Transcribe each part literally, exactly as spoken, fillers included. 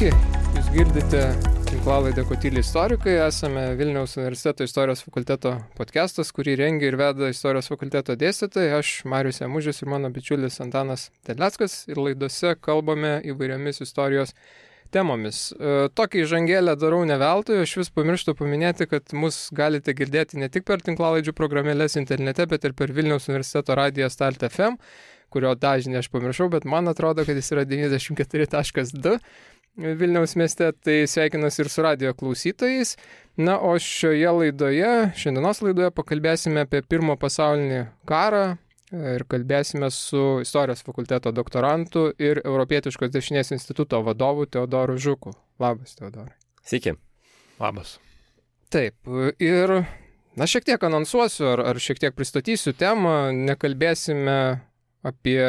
Sveiki, jūs girdite tinklalaidę Kotyli istorikai, esame Vilniaus universiteto istorijos fakulteto podcastas, kurį rengia ir veda istorijos fakulteto dėstytojai, aš Marius Jamužis ir mano bičiulis Antanas Terleckas ir laidose kalbame įvairiomis istorijos temomis. Tokį įžangėlę darau ne veltui, aš vis pamirštu paminėti, kad mus galite girdėti ne tik per tinklalaidžių programėlės internete, bet ir per Vilniaus universiteto radiją Start F M, kurio dažnį aš pamiršau, bet man atrodo, kad jis yra devyniasdešimt keturi taškas du Vilniaus mieste, tai sveikinuosi ir su radijo klausytojais. Na, o šioje laidoje, šiandienos laidoje pakalbėsime apie Pirmą pasaulinį karą ir kalbėsime su istorijos fakulteto doktorantu ir Europietiškos dešinės instituto vadovu Teodoru Žuku. Labas, Teodorai. Sveiki. Labas. Taip, ir na, šiek tiek anonsuosiu ar, ar šiek tiek pristatysiu temą, nekalbėsime apie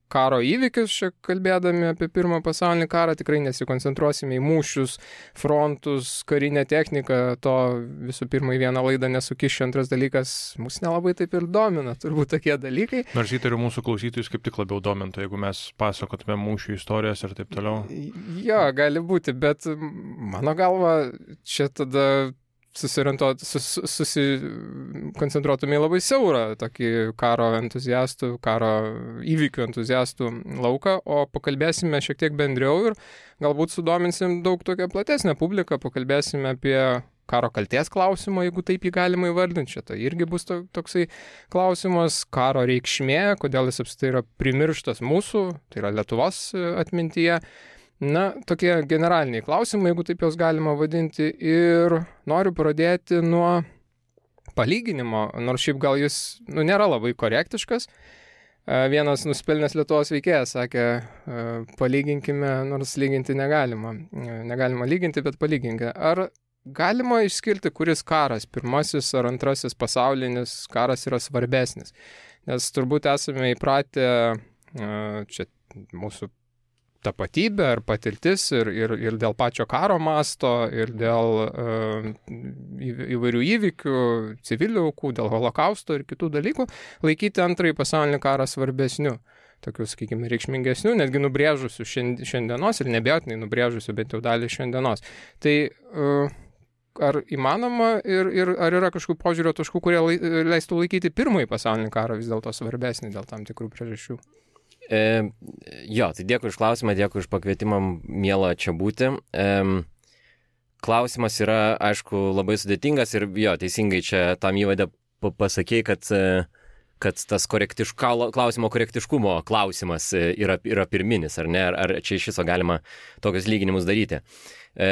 karo įvykius, čia kalbėdami apie Pirmą pasaulinį karą, tikrai nesikoncentruosime į mūšius, frontus, karinę techniką, to visų pirma į vieną laidą nesukišiu, antras dalykas, mus nelabai taip ir domina, turbūt tokie dalykai. Nors įtariu mūsų klausytojus kaip tik labiau domintų, jeigu mes pasakotume mūšių istorijas ir taip toliau. Jo, gali būti, bet mano galva, čia tada susikoncentruotume sus, susikoncentruotume į labai siaurą tokį karo entuziastų, karo įvykių entuziastų lauką, o pakalbėsime šiek tiek bendriau ir galbūt sudominsim daug tokią platesnę publiką, pakalbėsime apie karo kalties klausimą, jeigu taip jį galima įvardinti. Šitą irgi bus to, toksai klausimas, karo reikšmė, kodėl jis apskritai yra primirštas mūsų, tai yra Lietuvos atmintyje. Na, tokie generaliniai klausimai, jeigu taip jos galima vadinti, ir noriu pradėti nuo palyginimo, nors šiaip gal jis nu, nėra labai korektiškas. Vienas nusipelnęs Lietuvos veikėjas sakė, palyginkime, nors lyginti negalima. Negalima lyginti, bet palyginkime. Ar galima išskirti, kuris karas, pirmasis ar antrasis pasaulinis karas yra svarbesnis? Nes turbūt esame įpratę čia mūsų tapatybė ar patirtis ir, ir, ir dėl pačio karo masto, ir dėl uh, įvairių įvykių, civilių aukų, dėl holokausto ir kitų dalykų, laikyti antrąjį pasaulinį karą svarbesniu, tokius, sakykime, reikšmingesniu, netgi nubrėžusiu šiandienos ir nebejotinai nubrėžusiu bent jau dalį šiandienos. Tai uh, ar įmanoma ir, ir ar yra kažkokių požiūrio taškų, kurie lai, leistų laikyti Pirmąjį pasaulinį karą vis dėlto svarbesnį dėl tam tikrų priežasčių? E, jo, tai dėkui už klausimą, dėkui už pakvietimą, miela čia būti. E, klausimas yra, aišku, labai sudėtingas ir jo, teisingai čia tam įvade pasakėjai, kad, kad tas korektiška, klausimo korektiškumo klausimas yra, yra pirminis, ar ne, ar, ar čia iš viso galima tokius lyginimus daryti. E,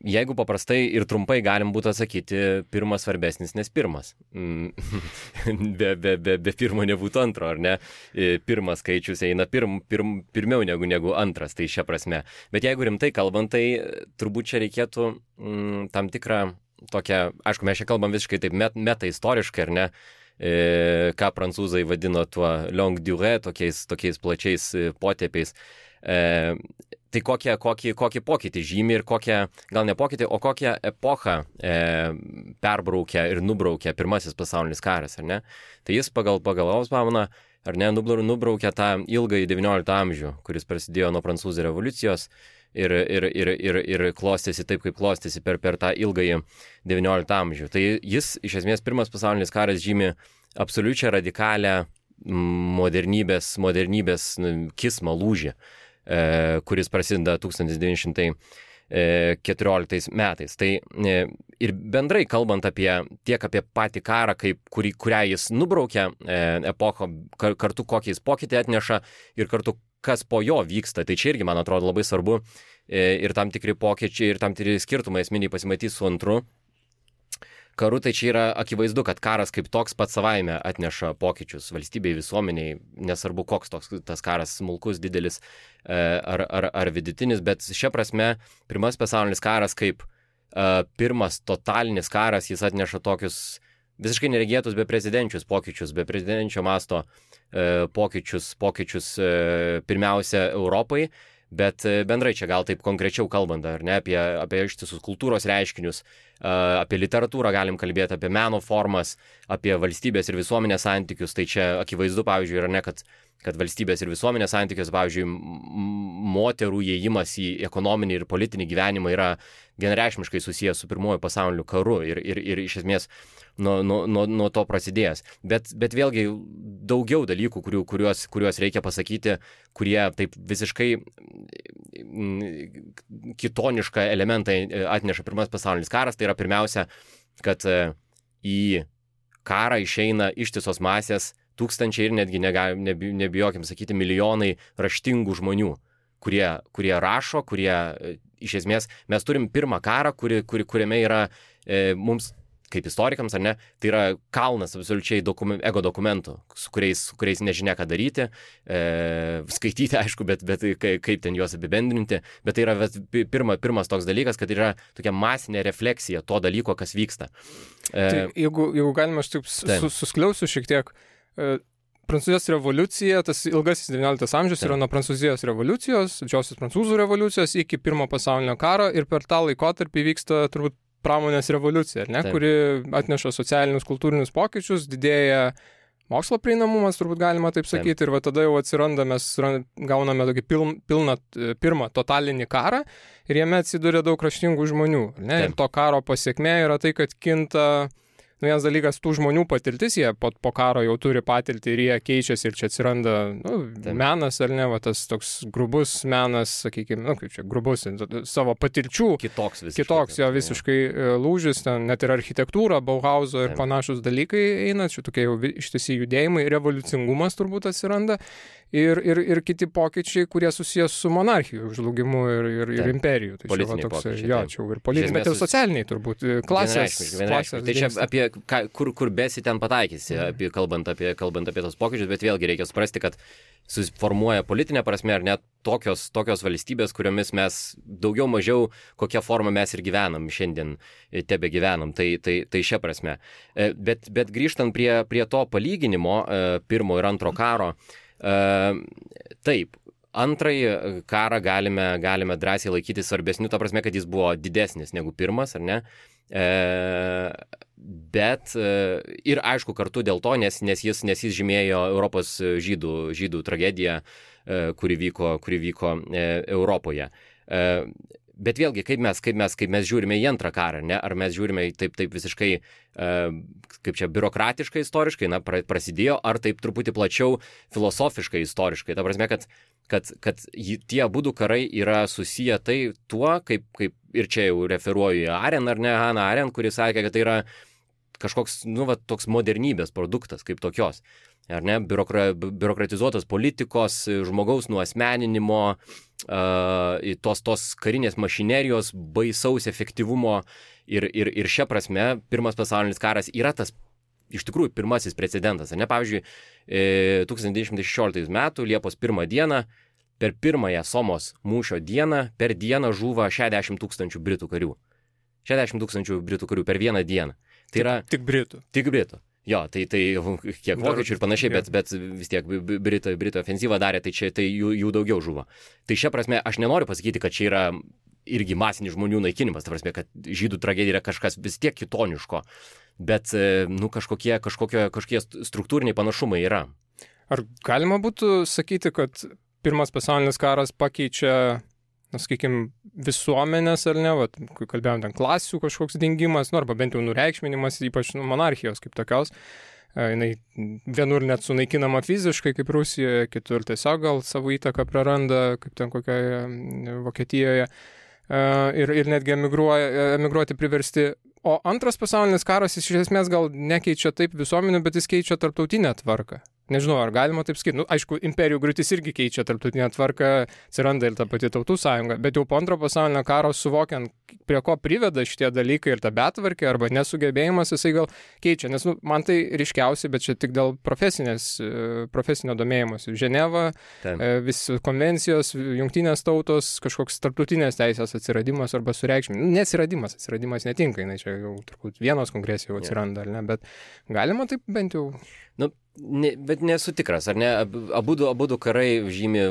jeigu paprastai ir trumpai galim būtų atsakyti, pirmas svarbesnis, nes pirmas. be, be, be, be pirmo nebūtų antro, ar ne? Pirmas skaičius eina pirm, pirm, pirmiau negu, negu antras, tai šia prasme. Bet jeigu rimtai kalbant, tai turbūt čia reikėtų mm, tam tikrą tokią, aišku, mes čia kalbam visiškai taip met, meta istoriškai, ar ne? E, ką prancūzai vadino tuo longue durée, tokiais, tokiais plačiais potėpiais. E, tai kokie, kokį, kokį pokytį žymi ir kokią, gal ne pokytį, o kokią epochą e, perbraukia ir nubraukia Pirmasis pasaulinis karas, ar ne? Tai jis pagal, pagal Ausbauną, ar ne, nubraukia tą ilgąjį devynioliktą amžių, kuris prasidėjo nuo Prancūzų revoliucijos ir, ir, ir, ir, ir klostėsi taip, kaip klostėsi per, per tą ilgąjį devynioliktą amžių. Tai jis, iš esmės, Pirmas pasaulinis karas žymi absoliučią radikalią modernybės, modernybės kismą lūžį, kuris prasideda tūkstantis devyni šimtai keturioliktais metais. Tai ir bendrai kalbant apie tiek apie patį karą, kaip, kurį, kurią jis nubraukia epochą, kartu kokiais pokytį atneša ir kartu kas po jo vyksta. Tai čia irgi, man atrodo, labai svarbu ir tam tikri pokyčiai ir tam tikri skirtumai esminiai pasimatys su antru karu. Tai čia yra akivaizdu, kad karas kaip toks pats savaime atneša pokyčius valstybei, visuomeniai, nesvarbu koks toks tas karas, smulkus, didelis ar, ar, ar vidutinis, bet šia prasme Pirmas pasaulinis karas kaip uh, pirmas totalinis karas, jis atneša tokius visiškai neregėtus beprecedenčius pokyčius, beprecedenčio masto uh, pokyčius, pokyčius uh, pirmiausia Europai, Bet bendrai čia gal taip konkrečiau kalbant, ar ne, apie, apie ištisus kultūros reiškinius, apie literatūrą galim kalbėti, apie meno formas, apie valstybės ir visuomenės santykius, tai čia akivaizdu, pavyzdžiui, yra ne, kad, kad valstybės ir visuomenės santykius, pavyzdžiui, moterų įėjimas į ekonominį ir politinį gyvenimą yra vienareikšmiškai susijęs su pirmuoju pasauliniu karu ir, ir, ir iš esmės nuo, nuo, nuo, nuo to prasidėjęs. Bet, bet vėlgi daugiau dalykų, kurių, kuriuos, kuriuos reikia pasakyti, kurie taip visiškai kitonišką elementą atneša pirmas pasaulinis karas, tai yra pirmiausia, kad į karą išeina ištisos masės, tūkstančiai ir netgi nebijokim sakyti milijonai raštingų žmonių, kurie, kurie rašo, kurie iš esmės, mes turim pirmą karą, kuri, kuri, kuriame yra e, mums, kaip istorikams, ar ne, tai yra kalnas absoliučiai dokumen, ego dokumentų, su kuriais, su kuriais nežinia ką daryti, e, skaityti, aišku, bet, bet kaip ten juos apibendrinti, bet tai yra pirma, pirmas toks dalykas, kad yra tokia masinė refleksija to dalyko, kas vyksta. E, tai jeigu, jeigu galima, aš taip sus, suskliausiu šiek tiek, e, Prancūzijos revoliucija, tas ilgasis devynioliktas amžius yra nuo Prancūzijos revoliucijos, didžiosios prancūzų revoliucijos iki pirmo pasaulinio karo ir per tą laikotarpį vyksta turbūt pramonės revoliucija, ne, Taip. kuri atneša socialinius, kultūrinius pokyčius, didėja mokslo prieinamumas, turbūt galima taip sakyti, Taip. ir va tada jau atsiranda, mes gauname tokį pil, pilną, pirmą totalinį karą ir jame atsiduria daug raštingų žmonių. Ne? Ir to karo pasiekmė yra tai, kad kinta Nu, vienas dalykas, tų žmonių patirtis, jie po, po karo jau turi patirtį ir jie keičiasi ir čia atsiranda nu, menas, ar ne, va, tas toks grubus menas, sakykime, nu, kaip čia, grubus, savo patirčių. Kitoks visiškai. Kitoks jo visiškai lūžis, ten net ir architektūra, Bauhauso ir panašus dalykai eina, čia tokie jau ištisi judėjimai, revoliucingumas turbūt atsiranda. Ir, ir, ir kiti pokyčiai, kurie susijęs su monarchijų žlugimu ir, ir, ir imperijų. Tai politiniai čia, va, toks, pokyčiai. Jo, čia ir politiniai, bet ir socialiniai turbūt. Klasės. klasės tai čia apie, ką, kur, kur besi ten pataikysi, mm. apie, kalbant, apie, kalbant apie tos pokyčius, bet vėlgi reikia suprasti, kad susiformuoja politinė prasme ar net tokios, tokios valstybės, kuriomis mes daugiau mažiau kokią formą mes ir gyvenam šiandien, tebe gyvenam. Tai, tai, tai šia prasme. Bet, bet grįžtant prie, prie to palyginimo pirmo ir antro karo, Uh, taip, antrąjį karą galime, galime drąsiai laikyti svarbesniu, ta prasme, kad jis buvo didesnis negu pirmas, ar ne? Uh, bet uh, ir aišku kartu dėl to, nes, nes, jis, nes jis žymėjo Europos žydų, žydų tragediją, uh, kuri vyko, kuri vyko uh, Europoje. Uh, Bet vėlgi, kaip mes, kaip, mes, kaip mes žiūrime į antrą karą, ne? Ar mes žiūrime taip, taip visiškai, uh, kaip čia, biurokratiškai, istoriškai, na, prasidėjo, ar taip truputį plačiau filosofiškai, istoriškai. Ta prasme, kad, kad, kad tie abudu karai yra susiję tai tuo, kaip, kaip ir čia jau referuoju į Arendt, ar ne, Hannah Arendt, kuris sakė, kad tai yra kažkoks, nu, va, toks modernybės produktas, kaip tokios. Ar ne, biurokra, biurokratizuotos politikos, žmogaus nuasmeninimo, uh, tos, tos karinės mašinerijos, baisaus efektyvumo ir, ir, ir šia prasme pirmas pasaulinis karas yra tas iš tikrųjų pirmasis precedentas. Ne, pavyzdžiui, tūkstantis devyni šimtai šešioliktais metų Liepos pirmą dieną, per pirmąją Somos mūšio dieną, per dieną žūva šešiasdešimt tūkstančių britų karių. šešiasdešimt tūkstančių britų karių per vieną dieną. Tai yra, tik, tik britų. Tik britų. Jo, tai, tai kiek vokiečių ir panašiai, bet, bet vis tiek Britų, Britų ofensyvą darė, tai, čia, tai jų, jų daugiau žuvo. Tai šia prasme, aš nenoriu pasakyti, kad čia yra irgi masinis žmonių naikinimas, ta prasme, kad žydų tragedija yra kažkas vis tiek kitoniško, bet nu, kažkokie, kažkokie, kažkokie struktūriniai panašumai yra. Ar galima būtų sakyti, kad pirmas pasaulinis karas pakeičia, na, sakykime, visuomenės, ar ne, vat, kai kalbėjom ten klasių kažkoks dingimas, nu, arba bent jau nureikšminimas, ypač nu, monarchijos kaip tokios, jinai vienur net sunaikinama fiziškai, kaip Rusijoje, kitur tiesiog gal savo įtaką praranda, kaip ten kokioje Vokietijoje, ir, ir netgi emigruoja, emigruoti priversti. O antras pasaulinis karas jis iš esmės gal nekeičia taip visuomenių, bet jis keičia tarptautinę tvarką. Nežinau, ar galima taip sakyti. Nu, aišku, imperijų griūtis irgi keičia tarptautinę tvarką, atsiranda ir ta pati tautų sąjunga, bet jau po antro pasaulinio karo suvokiant, prie ko priveda šitie dalykai ir ta betvarkė arba nesugebėjimas, jisai gal keičia. Nes nu, man tai ryškiausiai, bet čia tik dėl profesinės, profesinio domėjimas. Ženeva, visi konvencijos, jungtinės tautos, kažkoks tarptautinės teisės atsiradimas arba sureikšminimas. Neatsiradimas, atsiradimas netinka, jinai čia jau turbūt vienos kongresijų atsiranda, ar ne, bet galima taip bent jau... Nu, ne, bet nesu tikras, ar ne, abudu, abudu karai žymi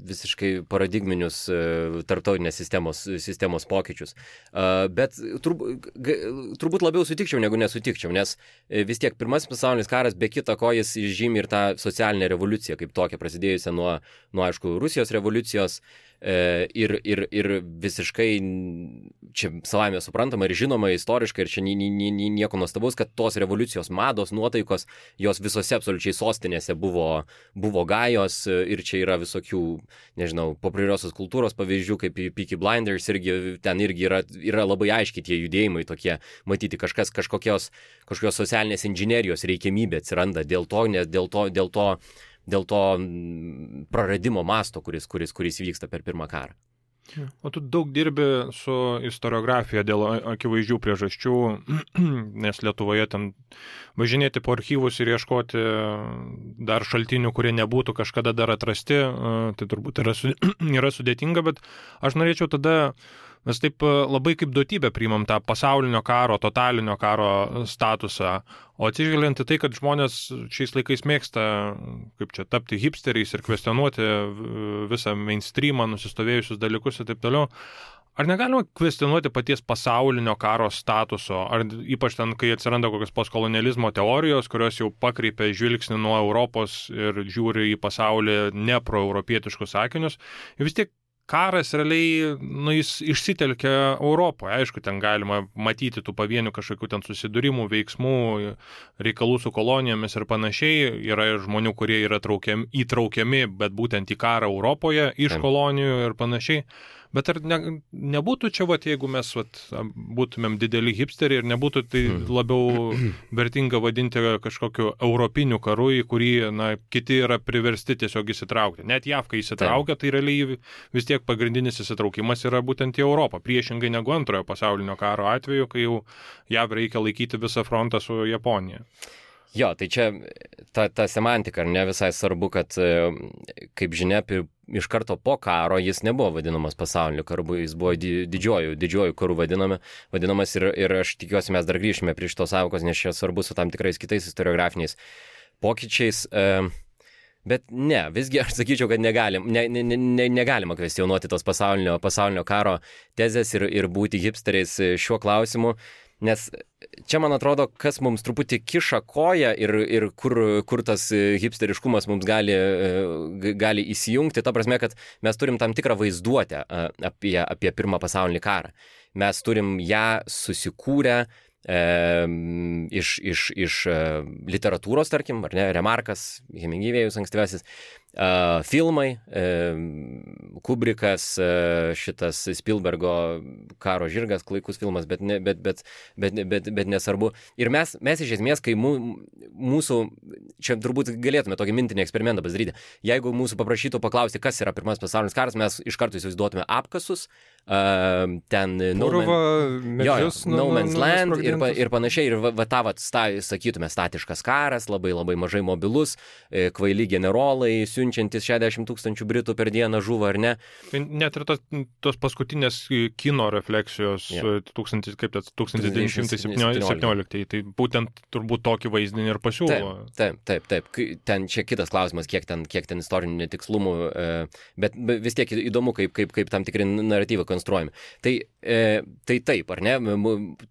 visiškai paradigminius uh, tarptautinės sistemos, sistemos pokyčius. Uh, bet turb, g, turbūt labiau sutikčiau, negu nesutikčiau, nes vis tiek pirmasis pasaulinis karas, be kita ko, jis žymi ir tą socialinę revoliuciją, kaip tokią prasidėjusią nuo, nuo aišku, Rusijos revoliucijos. Ir, ir, ir visiškai čia savame suprantama ir žinoma istoriškai ir čia ni, ni, ni, nieko nuostabaus, kad tos revoliucijos mados, nuotaikos, jos visose absoliučiai sostinėse buvo, buvo gajos ir čia yra visokių, nežinau, populiariosios kultūros pavyzdžių, kaip Peaky Blinders, irgi, ten irgi yra, yra labai aiškiai tie judėjimai tokie, matyti kažkas, kažkokios, kažkokios socialinės inžinerijos reikiamybė atsiranda dėl to, nes dėl to, dėl to dėl to praradimo masto, kuris, kuris, kuris vyksta per pirmą karą. O tu daug dirbi su istoriografija dėl akivaizdžių priežasčių, nes Lietuvoje ten važinėti po archyvus ir ieškoti dar šaltinių, kurie nebūtų kažkada dar atrasti, tai turbūt yra, yra sudėtinga, bet aš norėčiau tada mes taip labai kaip duotybę priimam tą pasaulinio karo, totalinio karo statusą, o atsižvelgiant į tai, kad žmonės šiais laikais mėgsta, kaip čia, tapti hipsteriais ir kvestionuoti visą mainstreamą, nusistovėjusius dalykus ir taip toliau, ar negalima kvestionuoti paties pasaulinio karo statuso, ar ypač ten, kai atsiranda kokios postkolonializmo teorijos, kurios jau pakreipia žvilgsnį nuo Europos ir žiūri į pasaulį ne proeuropietiškus sakinius, ir vis tiek karas realiai, nu, jis išsitelkia Europoje. Aišku, ten galima matyti tų pavienių kažkokių ten susidūrimų, veiksmų, reikalų su kolonijomis ir panašiai. Yra ir žmonių, kurie yra traukiami, įtraukiami, bet būtent į karą Europoje, iš kolonijų ir panašiai. Bet ar ne, nebūtų čia, vat, jeigu mes vat, būtumėm dideli hipsteriai ir nebūtų tai labiau vertinga vadinti kažkokiu europiniu karu, į kurį na, kiti yra priversti tiesiog įsitraukti. Net J A V, kai įsitraukia, tai realiai vis tiek pagrindinis įsitraukimas yra būtent į Europą, priešingai negu antrojo pasaulinio karo atveju, kai jau J A V reikia laikyti visą frontą su Japonija. Jo, tai čia ta, ta semantika, ar ne, visai svarbu, kad, kaip žinia, iš karto po karo jis nebuvo vadinamas pasauliniu karu, jis buvo didžiuoju, didžiuoju karu vadinami, vadinamas ir, ir aš tikiuosi mes dar grįžime prie šitos sąvokos, nes čia svarbu su tam tikrais kitais historiografiniais pokyčiais. Bet ne, visgi aš sakyčiau, kad negalim, ne, ne, ne, negalima kvestionuoti tos pasaulinio, pasaulinio karo tezės ir, ir būti hipsteriais šiuo klausimu. Nes čia, man atrodo, kas mums truputį kiša koją ir, ir kur, kur tas hipsteriškumas mums gali, gali įsijungti, ta prasme, kad mes turim tam tikrą vaizduotę apie, apie pirmą pasaulinį karą. Mes turim ją susikūrę e, iš, iš, iš literatūros, tarkim, ar ne, Remarkas, Hemingvėjus ankstyvasis, Uh, filmai, uh, Kubrikas, uh, šitas Spielbergo Karo žirgas, klaikus filmas, bet, ne, bet, bet, bet, bet, bet nesvarbu. Ir mes, mes iš esmės, kai mū, mūsų, čia turbūt galėtume tokį mintinį eksperimentą pasidaryti, jeigu mūsų paprašytų paklausti, kas yra pirmas pasaulinis karas, mes iš karto įsivaizduotume apkasus, uh, ten No, Purva, Man, medžius, jo, jo, no Man's Land ir, pa, ir panašiai, ir va, va tą va, sta, sakytume statiškas karas, labai labai mažai mobilus, kvaili generolai, siunčiantis šešiasdešimt tūkstančių Britų per dieną žuvo, ar ne? Tai net ir tos, tos paskutinės kino refleksijos, yeah. tūkstantis, kaip tas, tūkstantis devyni šimtai septynioliktieji, tai būtent turbūt tokį vaizdinį ir pasiūlo. Taip, taip, taip, taip. Ten čia kitas klausimas, kiek ten, kiek ten istorinių netikslumų, bet vis tiek įdomu, kaip, kaip, kaip tam tikri naratyvai konstruojami. Tai, tai taip, ar ne?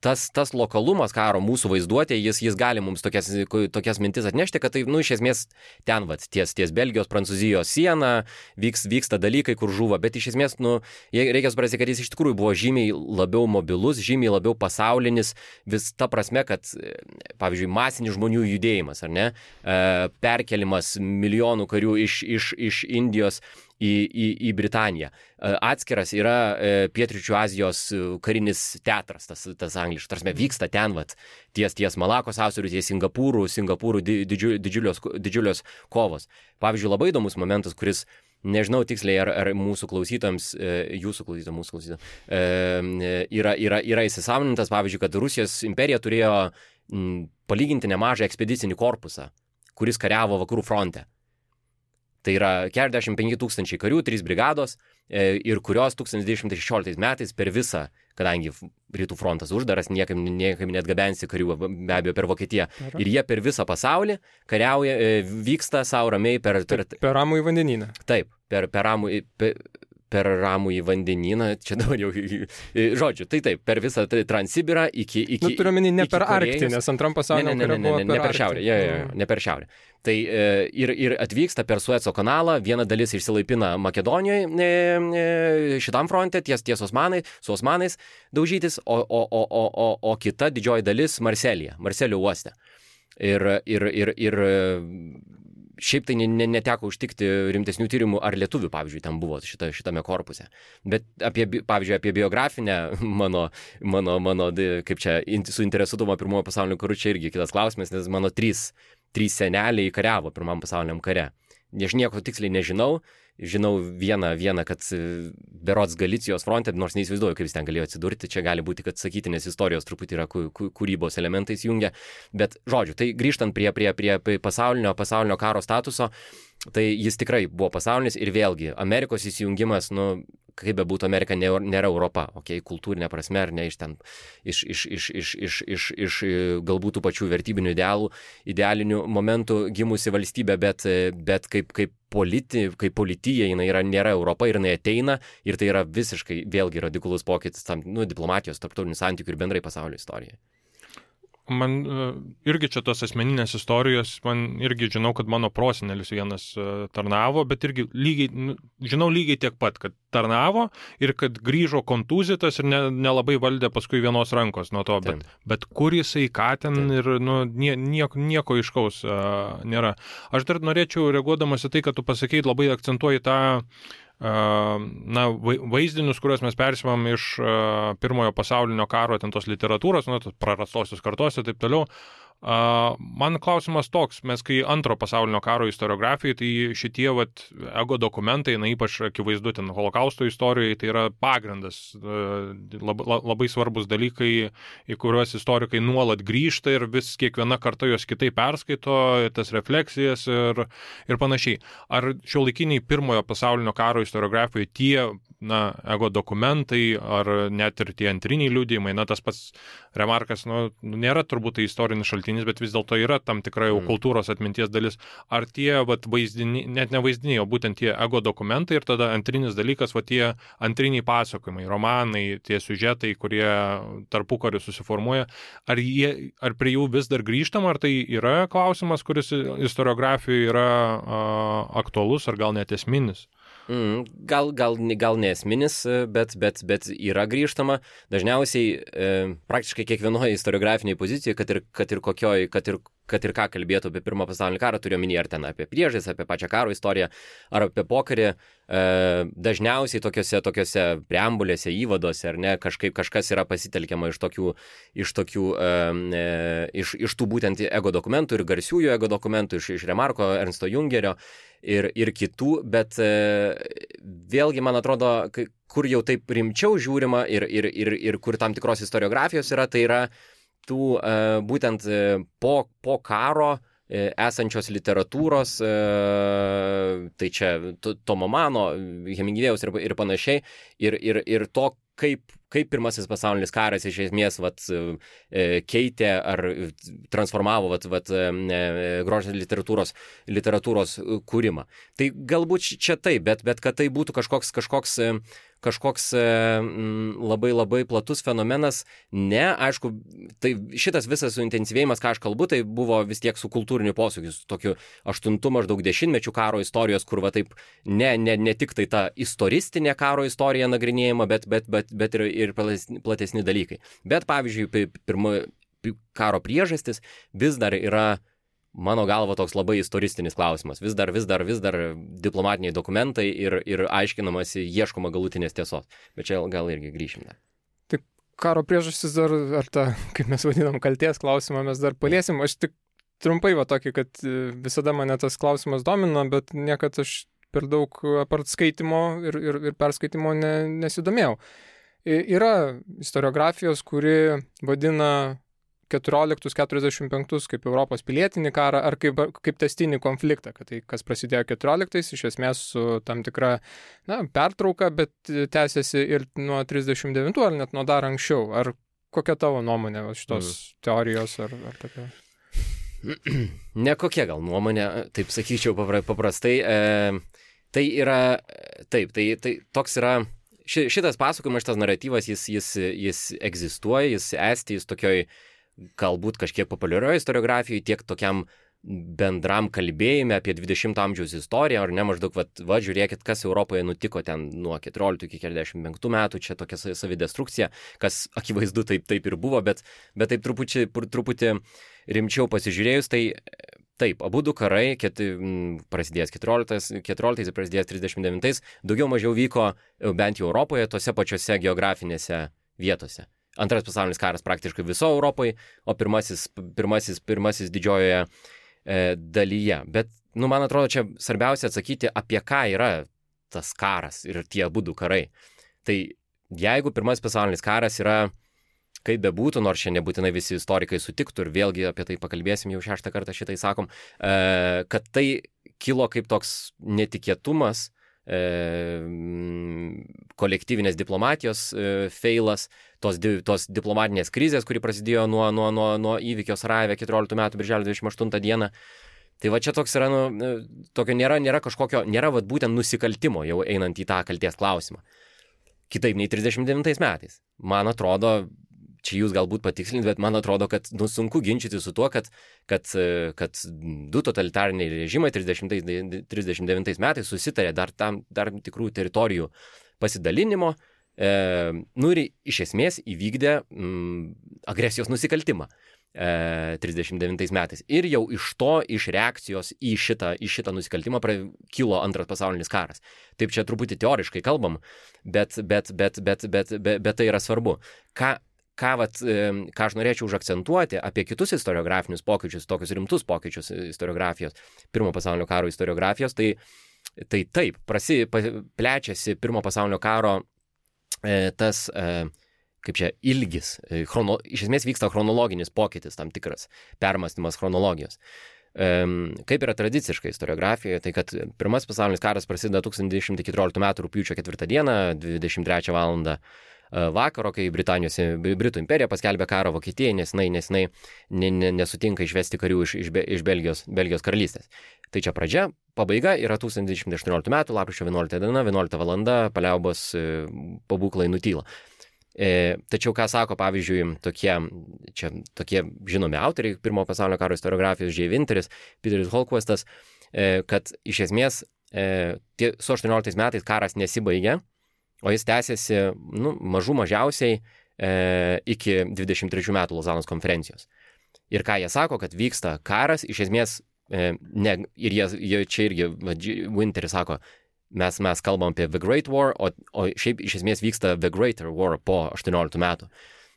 Tas, tas lokalumas karo mūsų vaizduotė, jis, jis gali mums tokias, tokias mintis atnešti, kad tai, nu, iš esmės ten, vat, ties, ties Belgijos, Prancūzijos siena, vyks, vyksta dalykai, kur žuvo, bet iš esmės, nu, reikia suprasti, kad jis iš tikrųjų buvo žymiai labiau mobilus, žymiai labiau pasaulinis, vis ta prasme, kad, pavyzdžiui, masinis žmonių judėjimas, ar ne, perkelimas milijonų karių iš, iš, iš Indijos į, į, į Britaniją. Atskiras yra Pietryčių Azijos karinis teatras, tas, tas angliškas, tarsi vyksta ten, vat, ties, ties Malakos sąsiauriu, ties Singapūrų, Singapūrų didžiu, didžiulios, didžiulios kovos. Pavyzdžiui, labai įdomus momentas, kuris, nežinau tiksliai, ar, ar mūsų klausytams, jūsų klausytams, mūsų klausytams, yra, yra, yra įsisąmonintas, pavyzdžiui, kad Rusijos imperija turėjo palyginti nemažą ekspedicinį korpusą, kuris kariavo vakarų fronte. Tai yra keturiasdešimt penki tūkstančiai karių, trys brigados, e, ir kurios tūkstantis devyni šimtai šešioliktais metais per visą, kadangi rytų frontas uždaras, niekam, niekam net gabensi karių, be abejo, per Vokietiją. Aha. Ir jie per visą pasaulį kariauja, e, vyksta savo ramiai per... Per, per ramųjį vandenyną. Taip, per, per ramųjį... Per, per ramų į vandenyną, čia dabar jau, žodžiu, tai taip, per visą tai Transsibirą iki... iki nu, turiu menį ne per Arktį, nes antram pasaulyje ne, ne, ne, ne, ne, ne per šiaurę, ja, ja, ja, ne per šiaurę. Tai e, ir, ir atvyksta per Sueco kanalą, viena dalis išsilaipina Makedonijoje e, e, šitam fronte, ties, ties Osmanai, su Osmanais daužytis, o, o, o, o, o, o kita didžioji dalis Marselėje, Marselio uoste. Ir, ir, ir, ir šiaip tai neteko užtikti rimtesnių tyrimų, ar lietuvių, pavyzdžiui, ten buvo šita, šitame korpuse. Bet, apie, pavyzdžiui, apie biografinę mano, mano, mano kaip čia, suinteresuotumą pirmojo pasaulinio karu, čia irgi kitas klausimas, nes mano trys, trys seneliai kariavo pirmam pasauliniam kare. Aš nieko tiksliai nežinau, žinau vieną, vieną, kad berods Galicijos fronte, nors neįsivaizduoju, kaip jis ten galėjo atsidurti, čia gali būti, kad sakyti, nes istorijos truputį yra kūrybos elementais jungia, bet žodžiu, tai grįžtant prie, prie, prie pasaulinio, pasaulinio karo statuso, tai jis tikrai buvo pasaulinis ir vėlgi, Amerikos įsijungimas, nu, kaip be būtų Amerika, nėra Europa, okei, okay, kultūrinė prasme, ar ne, iš ten, iš, iš, iš, iš, iš, iš, iš galbūt tų pačių vertybinių idealų, idealinių momentų gimusi valstybė, bet, bet kaip, kaip, politi, kaip politija, jinai yra, nėra Europa ir jinai ateina, ir tai yra visiškai vėlgi radikalus pokytis tam, nu, diplomatijos, tarptautinių santykių ir bendrai pasaulio istorijai. Man uh, irgi čia tos asmeninės istorijos, man irgi žinau, kad mano prosenelis vienas uh, tarnavo, bet irgi lygiai, nu, žinau lygiai tiek pat, kad tarnavo ir kad grįžo kontūzytas ir ne, nelabai valdė paskui vienos rankos nuo to, bet, bet kur jisai, ką ten Taip. Ir nu, nie, nieko, nieko iškaus uh, nėra. Aš dar norėčiau, reaguodamas į tai, kad tu pasakei, labai akcentuoji tą na, vaizdinius, kuriuos mes persimam iš uh, pirmojo pasaulinio karo, ten tos literatūros, nu, tos prarastosios kartos ir taip toliau. Uh, man klausimas toks, mes kai antro pasaulinio karo istoriografijai, tai šitie vat, ego dokumentai, na ypač akivaizdu ten holokausto istorijai, tai yra pagrindas, uh, lab, labai svarbus dalykai, į kuriuos istorikai nuolat grįžta ir vis kiekviena karta juos kitaip perskaito, tas refleksijas ir, ir panašiai. Ar šiuolaikiniai pirmojo pasaulinio karo istoriografijai tie, na, ego dokumentai, ar net ir tie antriniai liudijimai, na, tas pats Remarkas, nu, nėra turbūt tai istorinis šaltinis, bet vis dėlto yra tam tikra jau kultūros atminties dalis. Ar tie, vat, vaizdiniai, net ne vaizdiniai, o būtent tie ego dokumentai ir tada antrinis dalykas, va tie antriniai pasakojimai, romanai, tie siužetai, kurie tarpukariu susiformuoja, ar, jie, ar prie jų vis dar grįžtama, ar tai yra klausimas, kuris istoriografijoje yra a, aktualus, ar gal net esminis? Mm, gal, gal, gal nesminis, bet, bet, bet yra grįžtama. Dažniausiai e, praktiškai kiekvienoje istoriografiniai pozicijoje, kad ir, kad ir kokioj, kad ir, kad ir ką kalbėtų apie pirmą pasaulinį karą, turiu omeny ar ten apie priežastis, apie pačią karo istoriją, ar apie pokarį, e, dažniausiai tokiuose, tokiuose preambulėse, įvaduose, ar ne, kažkaip kažkas yra pasitelkiama iš tokių, iš tokių, e, iš, iš tų būtent ego dokumentų ir garsiųjų ego dokumentų, iš, iš Remarko, Ernsto Jungerio ir, ir kitų, bet e, vėlgi, man atrodo, kur jau taip rimčiau žiūrima ir, ir, ir, ir kur tam tikros istoriografijos yra, tai yra tų e, būtent e, po, po karo e, esančios literatūros, e, tai čia Tomo Mano, Hemingvėjaus ir, ir panašiai, ir, ir, ir to, kaip, kaip pirmasis pasaulinis karas iš esmės vat, keitė ar transformavo vat, vat, grožinės literatūros, literatūros kūrimą. Tai galbūt čia taip, bet, bet kad tai būtų kažkoks, kažkoks, kažkoks labai labai platus fenomenas, ne, aišku, tai šitas visas suintensyvėjimas, ką aš kalbu, tai buvo vis tiek su kultūriniu posūkiu, su tokiu aštuntu maždaug dešimtmečių karo istorijos, kur va taip ne, ne, ne tik tai ta istoristinė karo istorija nagrinėjama, bet, bet, bet, bet ir, ir platesni dalykai. Bet, pavyzdžiui, pirmo karo priežastis vis dar yra, mano galva, toks labai istoristinis klausimas. Vis dar, vis dar, vis dar diplomatiniai dokumentai ir, ir aiškinamasi, ieškoma galutinės tiesos. Bet čia gal irgi grįšim dar. Tik karo priežastis dar, ar tą, kaip mes vadinam, kalties klausimą mes dar paliesim. Aš tik trumpai va tokį, kad visada mane tas klausimas domina, bet niekad aš per daug apart skaitimo ir, ir, ir perskaitimo ne, nesidomėjau. Yra istoriografijos, kuri vadina keturioliktus keturiasdešimt penktus kaip Europos pilietinį karą ar kaip, kaip tęstinį konfliktą, kad tai, kas prasidėjo keturioliktais, iš esmės su tam tikra na, pertrauka, bet tęsiasi ir nuo trisdešimt devintų ar net nuo dar anksčiau. Ar kokia tavo nuomonė šitos mm. teorijos ar, ar tokia? Ne kokia gal nuomonė, taip sakyčiau paprastai. E, tai yra, taip, tai, tai toks yra, ši, šitas pasakojimas, šitas naratyvas, jis, jis, jis egzistuoja, jis esti, jis tokioj galbūt kažkiek populiarioje istoriografijoje, tiek tokiam bendram kalbėjime apie dvidešimto amžiaus istoriją, ar ne maždaug, va, va žiūrėkit, kas Europoje nutiko ten nuo keturioliktų iki keturiasdešimt penktų metų, čia tokia savidestrukcija, kas akivaizdu taip, taip ir buvo, bet, bet taip truputį, truputį rimčiau pasižiūrėjus, tai taip, abu du karai, ket, prasidėjęs keturioliktais ir prasidėjęs trisdešimt devintais, daugiau mažiau vyko bent jau Europoje, tose pačiose geografinėse vietose. Antras pasaulinis karas praktiškai viso Europoje, o pirmasis, pirmasis, pirmasis didžiojoje e, dalyje. Bet, nu, man atrodo, čia svarbiausia atsakyti, apie ką yra tas karas ir tie abu du karai. Tai jeigu pirmasis pasaulinis karas yra, kaip bebūtų, nors čia nebūtinai visi istorikai sutiktų ir vėlgi apie tai pakalbėsim, jau šeštą kartą šitai sakom, e, kad tai kilo kaip toks netikėtumas, e, kolektyvinės diplomatijos e, feilas, tos, di, tos diplomatinės krizės, kuri prasidėjo nuo, nuo, nuo, nuo įvykio Sarajeve keturioliktų metų birželio dvidešimt aštuntą dieną. Tai va čia toks yra, nu, tokio nėra, nėra kažkokio, nėra va būtent nusikaltimo jau einant į tą kalties klausimą. Kitaip nei trisdešimt devintais metais. Man atrodo, čia jūs galbūt patikslint, bet man atrodo, kad nu, sunku ginčyti su tuo, kad, kad, kad du totalitariniai režimai trisdešimt devintais metais susitarė dar tam dar tikrų teritorijų pasidalinimo, e, nu ir iš esmės įvykdė mm, agresijos nusikaltimą e, trisdešimt devintais metais. Ir jau iš to, iš reakcijos į šitą, į šitą nusikaltimą pra, kilo antras pasaulinis karas. Taip čia truputį teoriškai kalbam, bet, bet, bet, bet, bet, bet, bet tai yra svarbu. Ką Ką, vat, ką aš norėčiau užakcentuoti apie kitus istoriografinius pokyčius, tokius rimtus pokyčius istoriografijos, pirmo pasaulinio karo istoriografijos, tai, tai taip, prasi, plečiasi pirmo pasaulinio karo e, tas, e, kaip čia, ilgis, e, chrono, iš esmės vyksta chronologinis pokytis, tam tikras permąstymas chronologijos. E, kaip yra tradiciškai istoriografijoje, tai kad pirmas pasaulinis karas prasideda tūkstantis devyni šimtai keturioliktų metų rugpjūčio ketvirtą dieną, dvidešimt trečią valandą vakaro, kai Britanijos, Britų imperija paskelbė karą Vokietijai, nes jinai, nes jinai ne, ne, nesutinka išvesti karių iš, iš, iš Belgijos, Belgijos karalystės. Tai čia pradžia, pabaiga yra tūkstantis devyni šimtai aštuonioliktų metų, lapkričio vienuoliktą diena, vienuoliktą valandą, paliaubos pabūklai nutyla. E, tačiau ką sako, pavyzdžiui, tokie, čia, tokie žinomi autoriai pirmo pasaulinio karo istoriografijos, J. Winteris, Peteris Holquistas, e, kad iš esmės e, tie, su aštuonioliktais metais karas nesibaigė, o jis tęsiasi nu, mažų mažiausiai e, iki dvidešimt trečių metų Lozanos konferencijos. Ir ką jie sako, kad vyksta karas, iš esmės, e, ne, ir jie, jie čia irgi, Winteris sako, mes, mes kalbam apie The Great War, o, o šiaip iš esmės vyksta The Greater War po aštuonioliktų metų.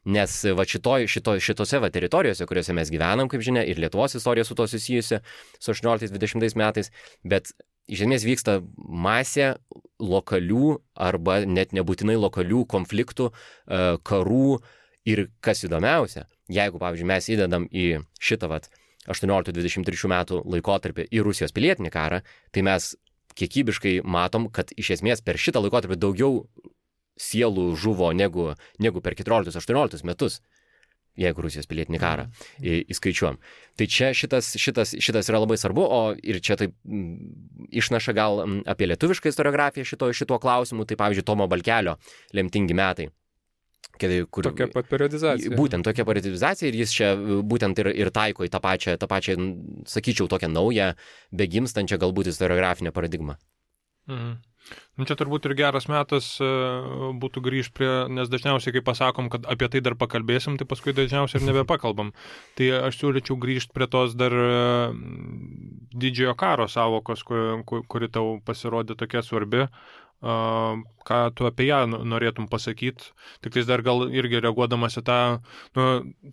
Nes va šitoj, šito, šitose va teritorijose, kuriuose mes gyvenam, kaip žinia, ir Lietuvos istorija su to susijusi su aštuonioliktais dvidešimtais metais, bet iš esmės vyksta masė lokalių arba net nebūtinai lokalių konfliktų, karų ir kas įdomiausia, jeigu, pavyzdžiui, mes įdedam į šitą vat aštuonioliktų dvidešimt trečių metų laikotarpį į Rusijos pilietinį karą, tai mes kiekybiškai matom, kad iš esmės per šitą laikotarpį daugiau sielų žuvo negu, negu per keturioliktus aštuonioliktus metus, jeigu Rusijos pilietinį karą į, įskaičiuom. Tai čia šitas, šitas, šitas yra labai svarbu, o ir čia taip m, išnaša gal m, apie lietuvišką istoriografiją šito, šito klausimu, tai pavyzdžiui Tomo Balkelio Lemtingi metai. Kur, tokia pat periodizacija. Būtent tokia periodizacija ir jis čia būtent ir, ir taiko į tą pačią, tą pačią, sakyčiau, tokią naują, begimstančią galbūt istoriografinę paradigmą. Mhm. Nu, čia turbūt ir geras metas būtų grįžti prie, nes dažniausiai, kai pasakom, kad apie tai dar pakalbėsim, tai paskui dažniausiai ir nebepakalbam. Tai aš siūlyčiau grįžti prie tos dar didžiojo karo savokos, kuri, kuri tau pasirodė tokia svarbi. ką tu apie ją norėtum pasakyti. Tik tais dar gal irgi reaguodamas į tą, nu,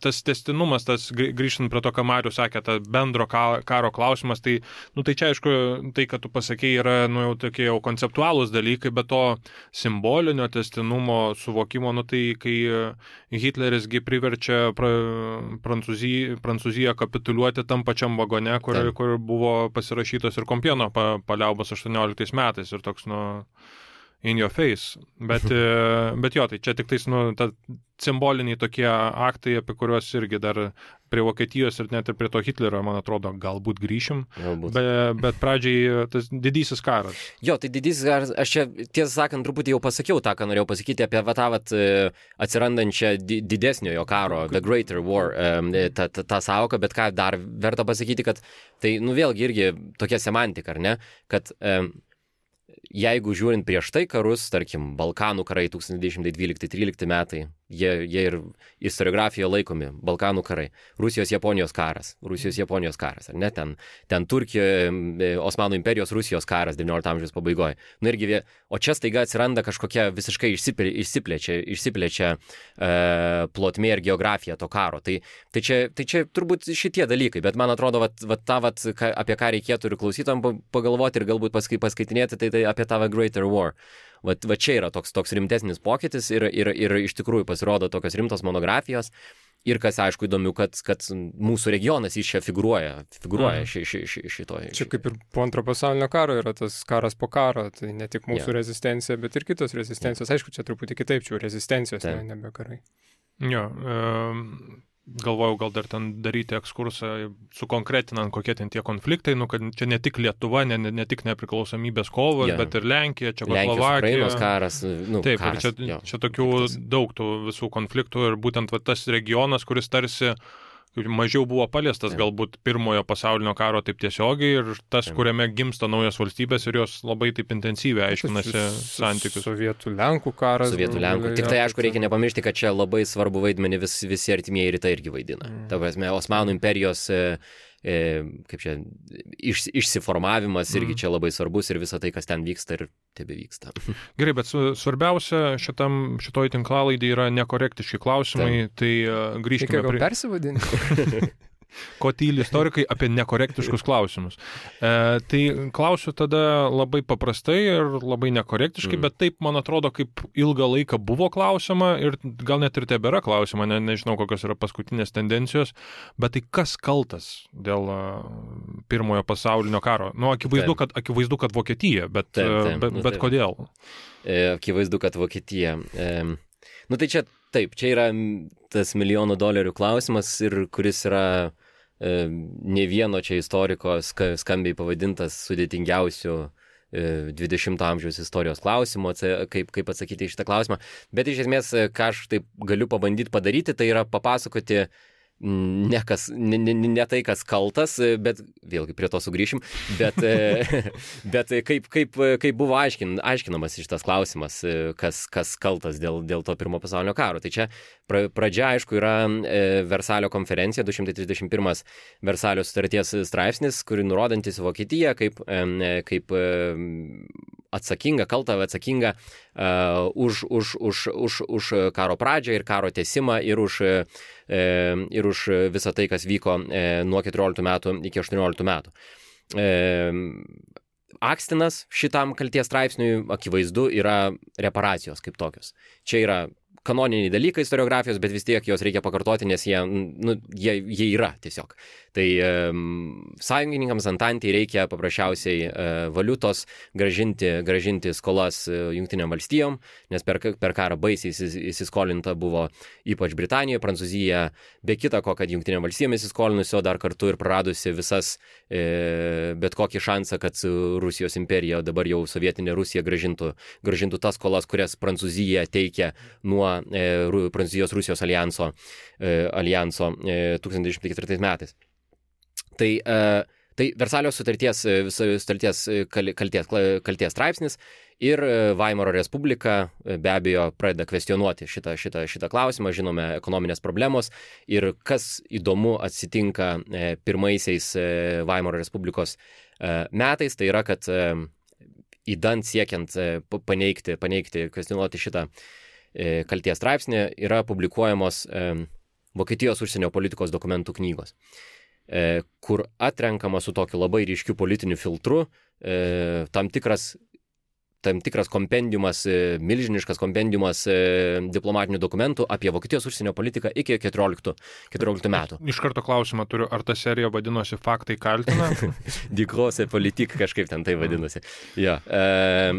tas tęstinumas, tas grįžtant prie to, ką Marius sakė, ta bendro karo klausimas, tai, nu, tai čia aišku, tai, kad tu pasakėjai, yra, nu, jau tokie jau konceptualūs dalykai, bet to simbolinio tęstinumo suvokimo, nu, tai kai Hitlerisgi priverčia pra, Prancūziją, Prancūziją kapituliuoti tam pačiam vagone, kur, kur buvo pasirašytos ir Kompieno pa, paliaubos aštuonioliktais metais ir toks, nu, in your face. Bet, bet jo, tai čia tik tais, nu, ta simboliniai tokie aktai, apie kuriuos irgi dar prie Vokietijos ir net ir prie to Hitlerio, man atrodo, galbūt grįšim. Galbūt. Be, bet pradžiai tas didysis karas. Jo, tai didysis karas, aš čia, tiesą sakant, truputį jau pasakiau tą, ką norėjau pasakyti apie va, tą vat, atsirandančią didesniojo karo, The Greater War, tą, tą, tą sąvoką, bet ką dar verta pasakyti, kad tai, nu, vėlgi irgi tokia semantika, ar ne, kad jeigu žiūrint prieš tai karus, tarkim, Balkanų karai tūkstantis devyni šimtai dvylikti trylikti metai, jie, jie ir istoriografijoje laikomi Balkanų karai, Rusijos-Japonijos karas, Rusijos-Japonijos karas, ar ne, ten, ten Turkijoje, Osmanų imperijos Rusijos karas devyniolikto amžiaus pabaigoje. Nu irgi, o čia staiga atsiranda kažkokia visiškai išsiplečia, išsiplečia e, plotmė ir geografija to karo. Tai, tai, čia, tai čia turbūt šitie dalykai, bet man atrodo, vat, vat, ta, vat, ka, apie ką reikėtų ir klausytam pagalvoti ir galbūt paskai, paskaitinėti, tai, tai apie tą Greater War. Va, va čia yra toks, toks rimtesnis pokytis ir, ir, ir iš tikrųjų pasirodo tokios rimtos monografijos. Ir kas, aišku, įdomu, kad, kad mūsų regionas iš čia figūruoja, figūruoja ši, ši, ši, šitoje. Čia kaip ir po antro pasaulinio karo yra tas karas po karo, tai ne tik mūsų yeah. rezistencija, bet ir kitos rezistencijos. Yeah. Aišku, čia truputį kitaip, čia rezistencijos, ne, nebe karai. Jo, um... galvojau gal dar ten daryti ekskursą, sukonkretinant, kokie ten tie konfliktai, nu, kad čia ne tik Lietuva, ne, ne, ne tik nepriklausomybės kovos, yeah. bet ir Lenkija, Čekoslovakija. Ukrainos karas. Nu, taip, karas, čia, jo, čia tokių tas. Daug tų visų konfliktų ir būtent va, tas regionas, kuris tarsi mažiau buvo paliestas, taip. Galbūt pirmojo pasaulinio karo taip tiesiogiai ir tas, taip. Kuriame gimsta naujos valstybės ir jos labai taip intensyviai aiškinasi santykius. Sovietų Lenkų karas. Sovietų Lenkų. Tik tai, aišku, reikia nepamiršti, kad čia labai svarbu vaidmenį vis, visi artimieji rytai irgi vaidina. Mm. Ta prasme, Osmanų imperijos e, e, kaip čia, iš, išsiformavimas mm. irgi čia labai svarbus ir visa tai, kas ten vyksta ir tebe vyksta. Gerai, bet svarbiausia šitam, šitoj tinklalaidai yra nekorektiški klausimai, taip. Tai uh, grįžkime prie... persivadinti? Ko tyli istorikai apie nekorektiškus klausimus. E, tai klausiu tada labai paprastai ir labai nekorektiškai, mm. bet taip, man atrodo, kaip ilgą laiką buvo klausima ir gal net ir tebėra klausima, ne, nežinau, kokios yra paskutinės tendencijos, bet tai kas kaltas dėl uh, pirmojo pasaulinio karo? Nu, akivaizdu, kad, akivaizdu kad Vokietija, bet, taip, taip, bet, nu, bet kodėl? E, akivaizdu, kad Vokietija. E, nu, tai čia taip, čia yra tas milijonų dolerių klausimas ir kuris yra ne vieno čia istoriko skambiai pavadintas sudėtingiausių dvidešimto amžiaus istorijos klausimo, kaip, kaip atsakyti į šitą klausimą. Bet iš esmės, ką aš taip galiu pabandyti padaryti, tai yra papasakoti ne, kas, ne, ne, ne tai, kas kaltas, bet vėlgi prie to sugrįšim, bet, bet kaip, kaip, kaip buvo aiškin, aiškinamas šitas klausimas, kas, kas kaltas dėl, dėl to pirmo pasaulinio karo. Tai čia pra, pradžia, aišku, yra Versalio konferencija, du šimtai trisdešimt pirmas Versalio sutarties straipsnis, kuri nurodantis Vokietiją kaip, kaip atsakinga, kalta atsakinga uh, už, už, už, už, už karo pradžią ir karo tęsimą ir už, uh, ir už visą tai, kas vyko uh, nuo keturioliktų metų iki aštuonioliktų metų. Uh, akstinas šitam kalties straipsniui akivaizdu yra reparacijos kaip tokios. Čia yra kanoniniai dalykai istoriografijos, bet vis tiek jos reikia pakartoti, nes jie, nu, jie, jie yra tiesiog. Tai e, sąjungininkams Antantei reikia paprasčiausiai e, valiutos gražinti, gražinti skolas e, Jungtinėm valstijom, nes per, per karą baisiai įsiskolinta buvo ypač Britanija, Prancūzija, be kita ko, kad Jungtinėm valstijom įsiskolinusi, o dar kartu ir praradusi visas e, bet kokį šansą, kad Rusijos imperija, dabar jau sovietinė Rusija gražintų, gražintų tas skolas, kurias Prancūzija teikia nuo e, Prancūzijos Rusijos alijanso, e, alijanso e, tūkstantis devyni šimtai ketvirtais metais. Tai, e, tai Versalio sutarties, sutarties kalties, kalties straipsnis ir Vaimaro Respublika be abejo pradeda kvestionuoti šitą, šitą, šitą klausimą, žinome, ekonominės problemos ir kas įdomu atsitinka e, pirmaisiais e, Vaimaro Respublikos e, metais, tai yra, kad e, įdant siekiant paneigti, paneigti, kvestionuoti šitą kalties straipsnį, yra publikuojamos Vokietijos užsienio politikos dokumentų knygos, kur atrenkama su tokiu labai ryškiu politiniu filtru tam tikras tam tikras kompendiumas, milžiniškas kompendiumas diplomatinių dokumentų apie Vokietijos užsienio politiką iki keturioliktų metų. Iš karto klausimą turiu, ar ta serija vadinosi Faktai kaltina? Die große Politik, kažkaip ten tai vadinosi. Jo, e,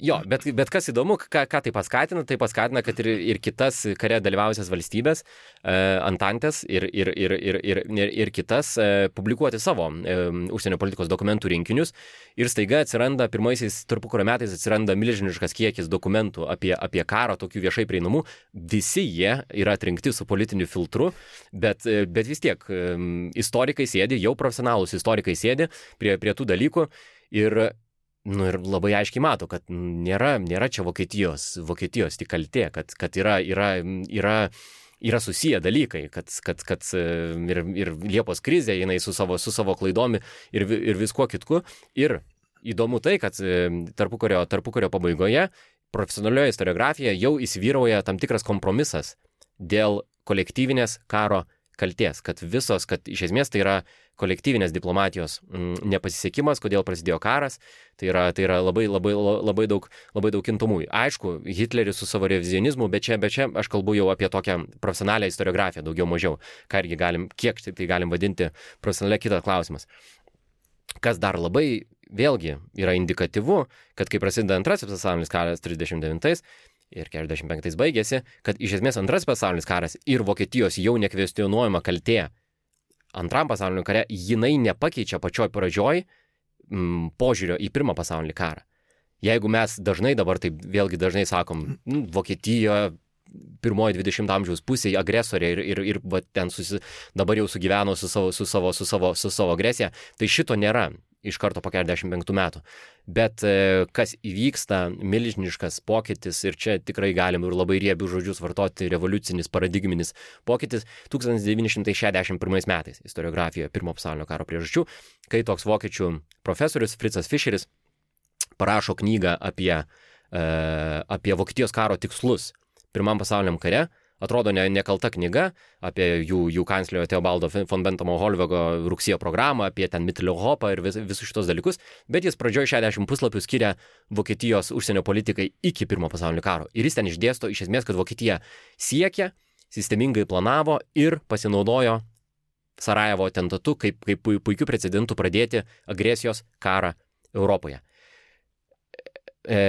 jo bet, bet kas įdomu, ką, ką tai paskatina, tai paskatina, kad ir, ir kitas kare dalyvausias valstybės, e, Antantės ir, ir, ir, ir, ir, ir, ir kitas e, publikuoti savo e, užsienio politikos dokumentų rinkinius ir staiga atsiranda pirmaisiais tarpukario metais atsiranda milžiniškas kiekis dokumentų apie, apie karą, tokių viešai prieinamų. Visi jie yra atrinkti su politiniu filtru, bet, bet vis tiek istorikai sėdi, jau profesionalūs istorikai sėdi prie, prie tų dalykų ir, nu, ir labai aiškiai mato, kad nėra, nėra čia Vokietijos, Vokietijos tik kaltė, kad, kad yra, yra, yra yra susiję dalykai, kad, kad, kad ir, ir Liepos krizė, jinai su savo, su savo klaidomi ir, ir viskuo kitku. Ir įdomu tai, kad tarpukario, tarpukario pabaigoje profesionalioje istoriografijoje jau įsivyrauja tam tikras kompromisas dėl kolektyvinės karo kaltės, kad visos, kad iš esmės tai yra kolektyvinės diplomatijos m, nepasisekimas, kodėl prasidėjo karas, tai yra, tai yra labai, labai, labai daug, labai daug kintamųjų. Aišku, Hitleris su savo revizionizmu, bet čia, bet čia aš kalbu jau apie tokią profesionalią istoriografiją, daugiau mažiau, ką irgi galim, kiek tai galim vadinti profesionalią, kitas klausimas. Kas dar labai vėlgi yra indikatyvu, kad kai prasideda antrasis pasaulinis karas trisdešimt devintais ir keturiasdešimt penktais baigėsi, kad iš esmės antrasis pasaulinis karas ir Vokietijos jau nekvestionuojama kaltė antram pasauliniam kare, jinai nepakeičia pačioj pradžioj m, požiūrio į pirmą pasaulinį karą. Jeigu mes dažnai dabar taip vėlgi dažnai sakom, m, Vokietija pirmoji dvidešimto amžiaus pusėje agresorė ir, ir, ir va, ten susi, dabar jau sugyveno su savo, su, savo, su, savo, su savo agresija, tai šito nėra iš karto po keturiasdešimt penktų metų. Bet e, kas įvyksta, milžiniškas pokytis, ir čia tikrai galim ir labai riebių žodžius vartoti, revoliucinis, paradigminis pokytis, tūkstantis devyni šimtai šešiasdešimt pirmais metais istoriografijoje pirmo pasaulinio karo priežasčių, kai toks vokiečių profesorius Fritzas Fischeris parašo knygą apie, e, apie Vokietijos karo tikslus pirmam pasauliniam kare. Atrodo ne, nekalta knyga apie jų, jų kanclerio Teobaldo von Benthamo Holvego rugsėjo programą, apie ten Mitteleuropą ir vis, visus šitos dalykus, bet jis pradžioje šešiasdešimt puslapių skiria Vokietijos užsienio politikai iki pirmo pasaulinio karo. Ir jis ten išdėsto iš esmės, kad Vokietija siekia, sistemingai planavo ir pasinaudojo Sarajevo atentatu kaip, kaip puikių precedentų pradėti agresijos karą Europoje. E,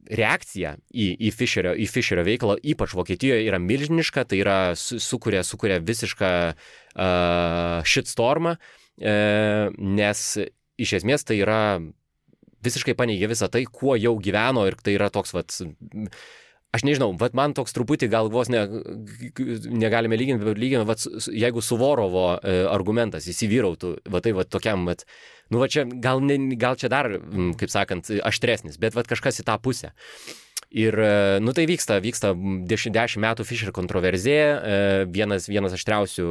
reakcija į, į, Fischerio, į Fischerio veiklą, ypač Vokietijoje, yra milžiniška, tai yra su, sukuria, sukuria visišką uh, shitstormą, uh, nes iš esmės tai yra visiškai paneigia visą tai, kuo jau gyveno, ir tai yra toks, vat, aš nežinau, vat man toks truputį gal vos ne, negalime lyginti, bet lyginti, vat, jeigu Suvorovo uh, argumentas įsivyrautų, vat tai vat tokiam, vat, nu va čia, gal, ne, gal čia dar, kaip sakant, aštresnis, bet vat kažkas į tą pusę. Ir, nu tai vyksta, vyksta dešimt metų Fischer kontroverzija, vienas, vienas aštriausių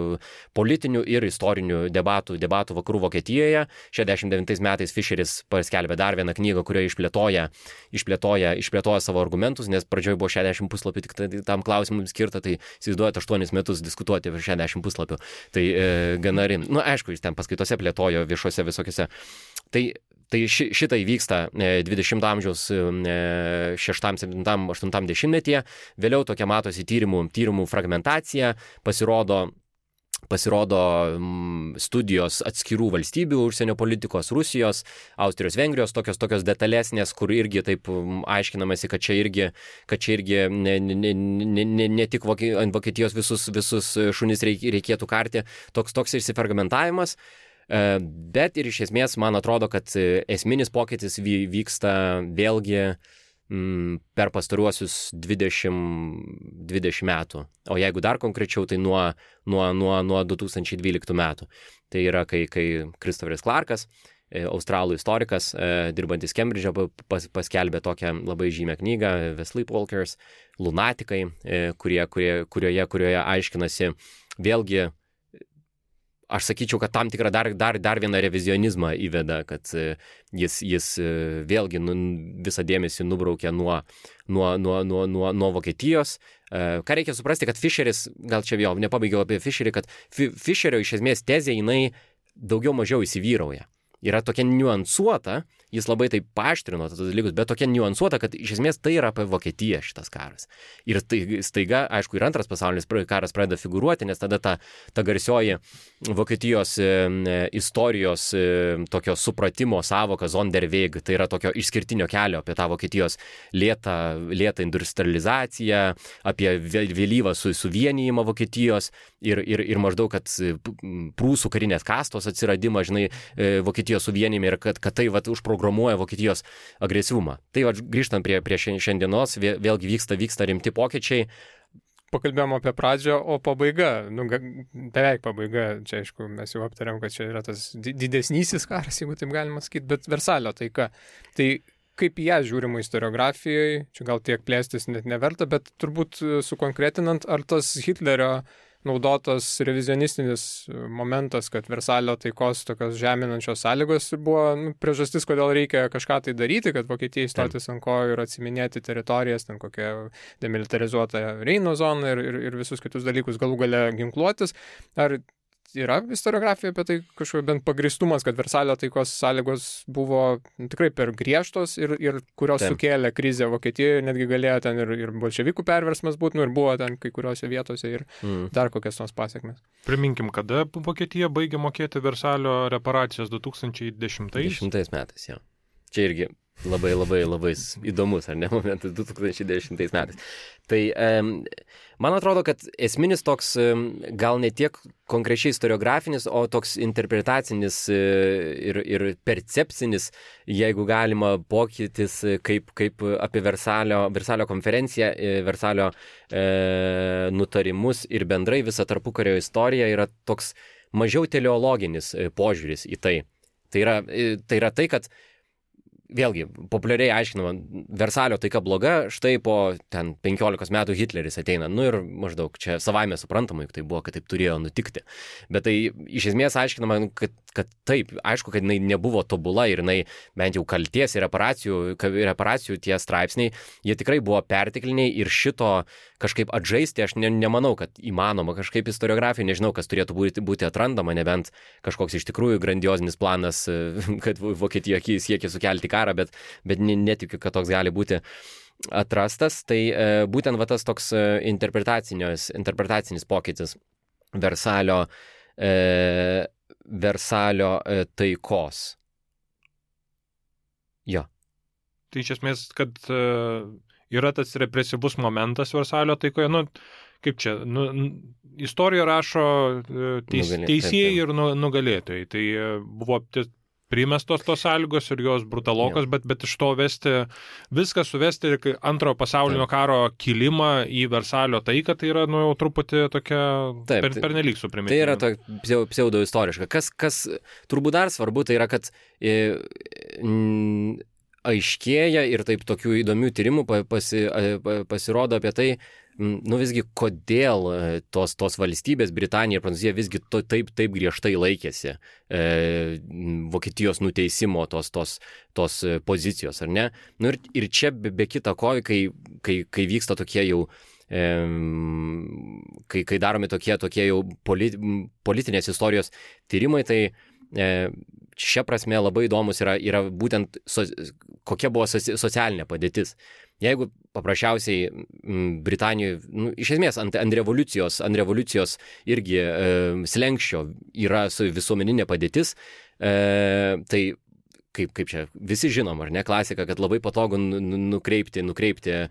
politinių ir istorinių debatų, debatų vakarų Vokietijoje. šešiasdešimt devintais metais Fischeris paskelbė dar vieną knygą, kurioje išplėtoja, išplėtoja, išplėtoja savo argumentus, nes pradžioje buvo šešiasdešimt puslapių tik tam klausimui skirta, tai įsivaizduojate aštuonis metus diskutuoti apie šešiasdešimt puslapių. Tai e, gana rim. Nu, aišku, jis ten paskaitose plėtojo viešuose visokiose. Tai Tai ši, šitą įvyksta dvidešimto amžiaus šeštam, septintam, aštuntam dešimtmetyje, vėliau tokia matosi tyrimų, tyrimų fragmentacija, pasirodo, pasirodo studijos atskirų valstybių užsienio politikos, Rusijos, Austrijos, Vengrijos, tokios, tokios detalesnės, kur irgi taip aiškinamasi, kad čia irgi, kad čia irgi ne, ne, ne, ne, ne tik ant Vokietijos visus, visus šunis reikėtų karti, toks, toks išsifragmentavimas. Bet ir iš esmės man atrodo, kad esminis pokytis vyksta vėlgi m, per pastaruosius dvidešimt, dvidešimt metų. O jeigu dar konkrečiau, tai nuo, nuo, nuo, nuo du tūkstančiai dvyliktų metų. Tai yra, kai, kai Christopheris Clarkas, australų istorikas, dirbantis Kembridže, pas, paskelbė tokią labai žymią knygą The Sleepwalkers, lunatikai, kurie, kurie, kurioje, kurioje aiškinasi vėlgi aš sakyčiau, kad tam tikrą dar, dar, dar vieną revizionizmą įveda, kad jis, jis vėlgi nu, visą dėmesį nubraukia nuo, nuo, nuo, nuo, nuo, nuo Vokietijos. Ką reikia suprasti, kad Fischeris, gal čia jau nepabaigiau apie Fischerį, kad Fischerio iš esmės tezė jinai daugiau mažiau įsivyrauja. Yra tokia niuansuota, jis labai taip paaštrino tos dalykus, bet tokia niuansuota, kad iš esmės tai yra apie Vokietiją šitas karas. Ir tai, staiga, aišku, ir antras pasaulinis karas pradeda figūruoti, nes tada ta, ta garsioji Vokietijos e, istorijos e, tokio supratimo savoka Sonderweg, tai yra tokio išskirtinio kelio apie tą Vokietijos lėtą, lėtą industrializaciją, apie vėlyvą su, suvienijimą Vokietijos ir, ir, ir maždaug, kad prūsų karinės kastos atsiradimą, žinai, Vokietijos suvienijime ir kad, kad tai vat, užprogramuoja Vokietijos agresyvumą. Tai vat, grįžtant prie, prie šiandienos, vėlgi vyksta, vyksta rimti pokyčiai. Pakalbėjom apie pradžią, o pabaiga, nu, beveik pabaiga, čia aišku, mes jau aptarėm, kad čia yra tas didesnysis karas, jeigu taip galima sakyti, bet Versalio taika. Tai kaip į ją žiūrima istoriografijoje, čia gal tiek plėstis net neverta, bet turbūt sukonkretinant, ar tas Hitlerio naudotas revizionistinis momentas, kad Versalio taikos tokios žeminančios sąlygos buvo nu, priežastis, kodėl reikia kažką tai daryti, kad Vokietijai stotis ant kojų ir atsiminėti teritorijas, ten kokią demilitarizuotą Reino zoną ir, ir, ir visus kitus dalykus, galų gale ginkluotis. Ar yra istoriografija apie tai kažkokia bent pagristumas, kad Versalio taikos sąlygos buvo tikrai per griežtos ir, ir kurios Taip. Sukėlė krizę Vokietijoje, netgi galėjo ten ir, ir bolševikų perversmas būti, nu ir buvo ten kai kuriuose vietose ir mm. dar kokias tos pasiekmes. Priminkim, kada Vokietija baigė mokėti Versalio reparacijas du tūkstančiai dešimtais? dešimtais metais, jo. Čia irgi labai, labai, labai įdomus, ar ne, momentas du tūkstančiai dešimtais metais. Tai um, man atrodo, kad esminis toks um, gal ne tiek konkrečiai istoriografinis, o toks interpretacinis uh, ir, ir percepcinis, jeigu galima pokytis, kaip, kaip apie Versalio, Versalio konferenciją, Versalio uh, nutarimus ir bendrai visą tarpukario istoriją yra toks mažiau teleologinis uh, požiūris į tai. Tai yra tai, yra tai kad vėlgi, populiariai aiškinama, Versalio taika bloga, štai po ten penkiolikos metų Hitleris ateina, nu ir maždaug čia savaime suprantama, juk tai buvo, kad taip turėjo nutikti. Bet tai iš esmės aiškinama, kad, kad taip, aišku, kad jinai nebuvo tobula ir jinai bent jau kalties ir reparacijų, reparacijų tie straipsniai, jie tikrai buvo pertekliniai ir šito kažkaip atžaisti, aš ne, nemanau, kad įmanoma kažkaip istoriografija, nežinau, kas turėtų būti, būti atrandama, nebent kažkoks iš tikrųjų grandiozinis planas, kad Vokietija siekia sukelti karą, bet, bet netikiu, kad toks gali būti atrastas. Tai e, būtent va tas toks interpretacinis pokytis Versalio, e, Versalio e, taikos. Jo. Tai iš esmės, kad e, yra tas represyvus momentas Versalio taikoje, nu, kaip čia, nu, istoriją rašo teis, Nugalė, teisėjai ir nu, nugalėtojai. Tai buvo primestos tos sąlygos ir jos brutalokos, bet, bet iš to vesti, viską suvesti antrojo pasaulinio karo kilimą į Versalio taiką, tai yra, nu, jau truputį tokia per, pernelyg suprimityvi. Tai yra to pseudo istoriška. Kas, kas turbūt dar svarbu, tai yra, kad e, m, aiškėja ir taip tokių įdomių tyrimų pasi, pasirodo apie tai, nu visgi kodėl tos, tos valstybės, Britanija ir Prancūzija visgi to, taip, taip griežtai laikėsi e, Vokietijos nuteisimo tos, tos, tos pozicijos, ar ne? Nu ir, ir čia be, be kita ko, kai, kai, kai vyksta tokie jau, e, kai, kai daromi tokie, tokie jau polit, politinės istorijos tyrimai, tai e, šia prasme labai įdomus yra, yra būtent so, kokia buvo socialinė padėtis. Jeigu paprasčiausiai Britanijoje, nu, iš esmės ant, ant, revoliucijos, ant revoliucijos irgi e, slenkščio yra visuomeninė padėtis, e, tai kaip, kaip čia visi žinom, ar ne, klasika, kad labai patogu nukreipti, nukreipti e,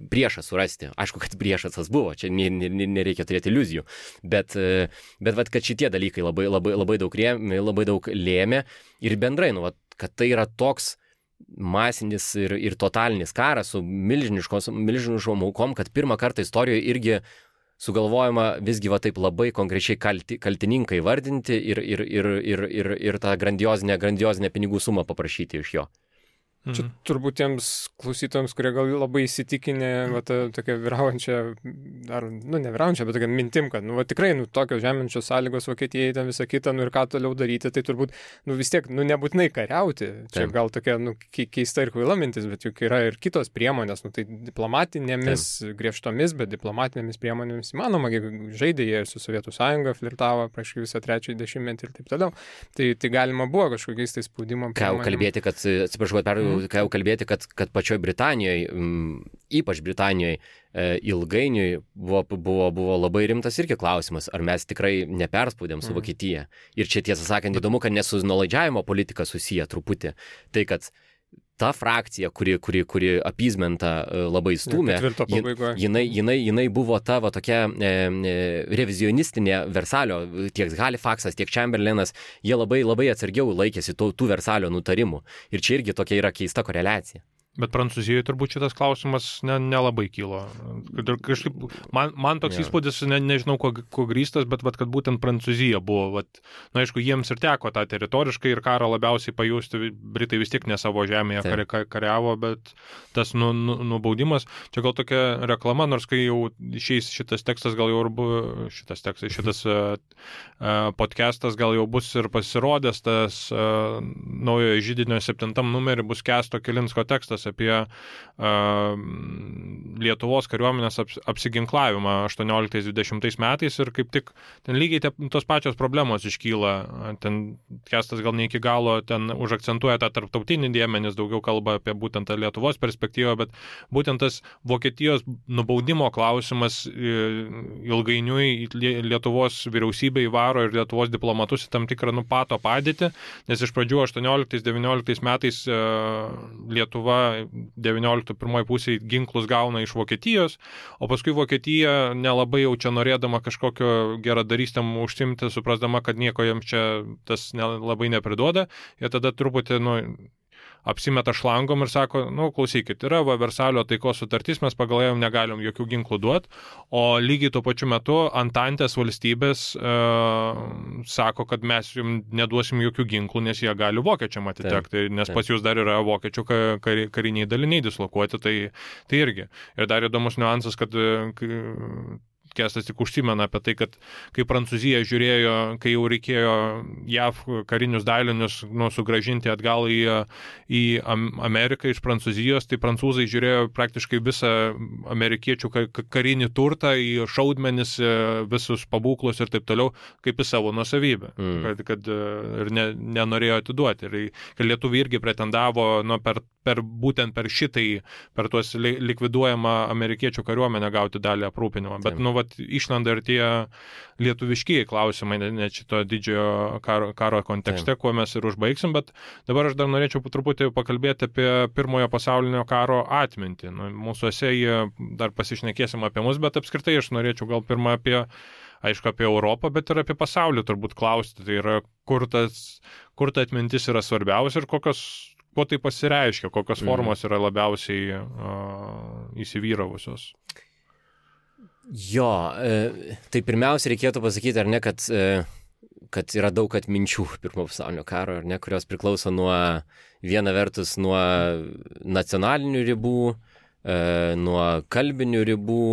priešą surasti. Aišku, kad priešas tas buvo, čia nereikia turėti iliuzijų, bet, e, bet vat, kad šitie dalykai labai, labai, labai, daug rėmė, labai daug lėmė ir bendrai, nu, vat, kad tai yra toks masinis ir, ir totalinis karas su milžiniškom aukom, kad pirmą kartą istorijoje irgi sugalvojama visgi va taip labai konkrečiai kalti, kaltininkai vardinti ir, ir, ir, ir, ir, ir tą grandiozinę, grandiozinę pinigų sumą paprašyti iš jo. Čia turbūt tiems klausytojams, kurie gal labai įsitikinę, va, ta, tokia vyraujančia, ar, nu, ne vyraujančia, bet tokia mintim, kad, nu, va, tikrai, nu, tokios žeminčios sąlygos Vokietijai, ten visą kitą, nu, ir ką toliau daryti, tai turbūt, nu, vis tiek, nu, nebūtinai kariauti. Čia Taip. Gal tokia, nu, keista ir kvaila mintis, bet juk yra ir kitos priemonės, nu, tai diplomatinėmis, Taip. griežtomis, bet diplomatinėmis priemonėmis įmanoma, žaidė jie ir su Sovietų sąjunga, flirtavo prieš visą trečiąjį dešimtmetį ir taip toliau. Tai, tai galima buvo kažkokiais tai spaudimo priemonėmis. Ką kalbėti, kad, atsiprašau, per ką jau kalbėti, kad, kad pačioj Britanijoje, ypač Britanijoje, ilgainiui buvo, buvo, buvo labai rimtas irgi klausimas, ar mes tikrai neperspaudėm su Vokietija. Ir čia tiesą sakant įdomu, kad ne su nuolaidžiavimo politika susiję truputį. Tai, kad ta frakcija, kuri, kuri, kuri apizmentą labai stūmė, jinai, jinai, jinai buvo ta va, tokia e, revizionistinė Versalio, tiek Halifaksas, tiek Chamberlainas, jie labai, labai atsargiau laikėsi tų, tų Versalio nutarimų. Ir čia irgi tokia yra keista koreliacija. Bet Prancūzijoje turbūt šitas klausimas ne, nelabai kilo. Kažkaip, man, man toks ja. įspūdis, ne, nežinau, kuo, kuo grįstas, bet vat, kad būtent Prancūzija buvo, vat, na, aišku, jiems ir teko tą teritoriškai ir karą labiausiai pajusti, Britai vis tiek ne savo žemėje kari, kariavo, bet tas nu, nu, nubaudimas, čia gal tokia reklama, nors kai jau išeis šitas tekstas, gal jau ir buvo, šitas tekstas, šitas uh, uh, podcastas gal jau bus ir pasirodęs, tas uh, naujojo židinio septintam numerį bus Kęsto Kilinsko tekstas apie uh, Lietuvos kariuomenės aps, apsiginklavimą aštuonioliktais dvidešimtais metais ir kaip tik ten lygiai te, tos pačios problemos iškyla. Ten Kęstas gal ne iki galo ten užakcentuoja tą tarptautinį dėmenys, daugiau kalba apie būtent tą Lietuvos perspektyvą, bet būtent tas Vokietijos nubaudimo klausimas ilgainiui Lietuvos vyriausybė įvaro ir Lietuvos diplomatus į tam tikrą nupato padėtį, nes iš pradžių aštuonioliktais devynioliktais metais uh, Lietuva devynioliktų pirmoji pusėje ginklus gauna iš Vokietijos, o paskui Vokietija nelabai jau čia norėdama kažkokio geradarystėm užsimti, suprasdama, kad nieko jiems čia tas labai nepriduoda, ir tada truputį, nu, apsimeta šlangom ir sako, nu, klausykit, yra va, Versalio taikos sutartis, mes pagal ją negalim jokių ginklų duoti, o lygiai tuo pačiu metu Antantės valstybės e, sako, kad mes jums neduosim jokių ginklų, nes jie gali vokiečiam atitekti, nes pas jūs dar yra vokiečių kar, kariniai daliniai dislokuoti, tai, tai irgi. Ir dar įdomus niuansas, kad Kęstas tik užsimena apie tai, kad kai Prancūzija žiūrėjo, kai jau reikėjo J A V karinius dalinius nu, sugrąžinti atgal į, į Ameriką iš Prancūzijos, tai prancūzai žiūrėjo praktiškai visą amerikiečių karinį turtą, į šaudmenis, visus pabūklus ir taip toliau, kaip į savo nuosavybę, mm. kad, kad ir ne, nenorėjo atiduoti. Ir kad lietuviai irgi pretendavo nu, per, per, būtent per šitai, per tuos likviduojamą amerikiečių kariuomenę gauti dalį aprūpinimo. Bet, nu, vat, išlenda ir tie lietuviškiai klausimai, net šito didžiojo karo, karo kontekste, Taip. Kuo mes ir užbaigsim, bet dabar aš dar norėčiau truputį pakalbėti apie pirmojo pasaulinio karo atmintį. Nu, mūsų esėje dar pasišnekėsim apie mus, bet apskritai aš norėčiau gal pirmą apie, aišku, apie Europą, bet ir apie pasaulį turbūt klausti. Tai yra, kur, tas, kur ta atmintis yra svarbiausia ir kokios, kuo tai pasireiškia, kokios formos yra labiausiai uh, įsivyravusios. Jo, e, tai pirmiausia reikėtų pasakyti, ar ne, kad, e, kad yra daug atminčių pirmo pasaulinio karo, ar ne, kurios priklauso nuo, viena vertus nuo nacionalinių ribų, e, nuo kalbinių ribų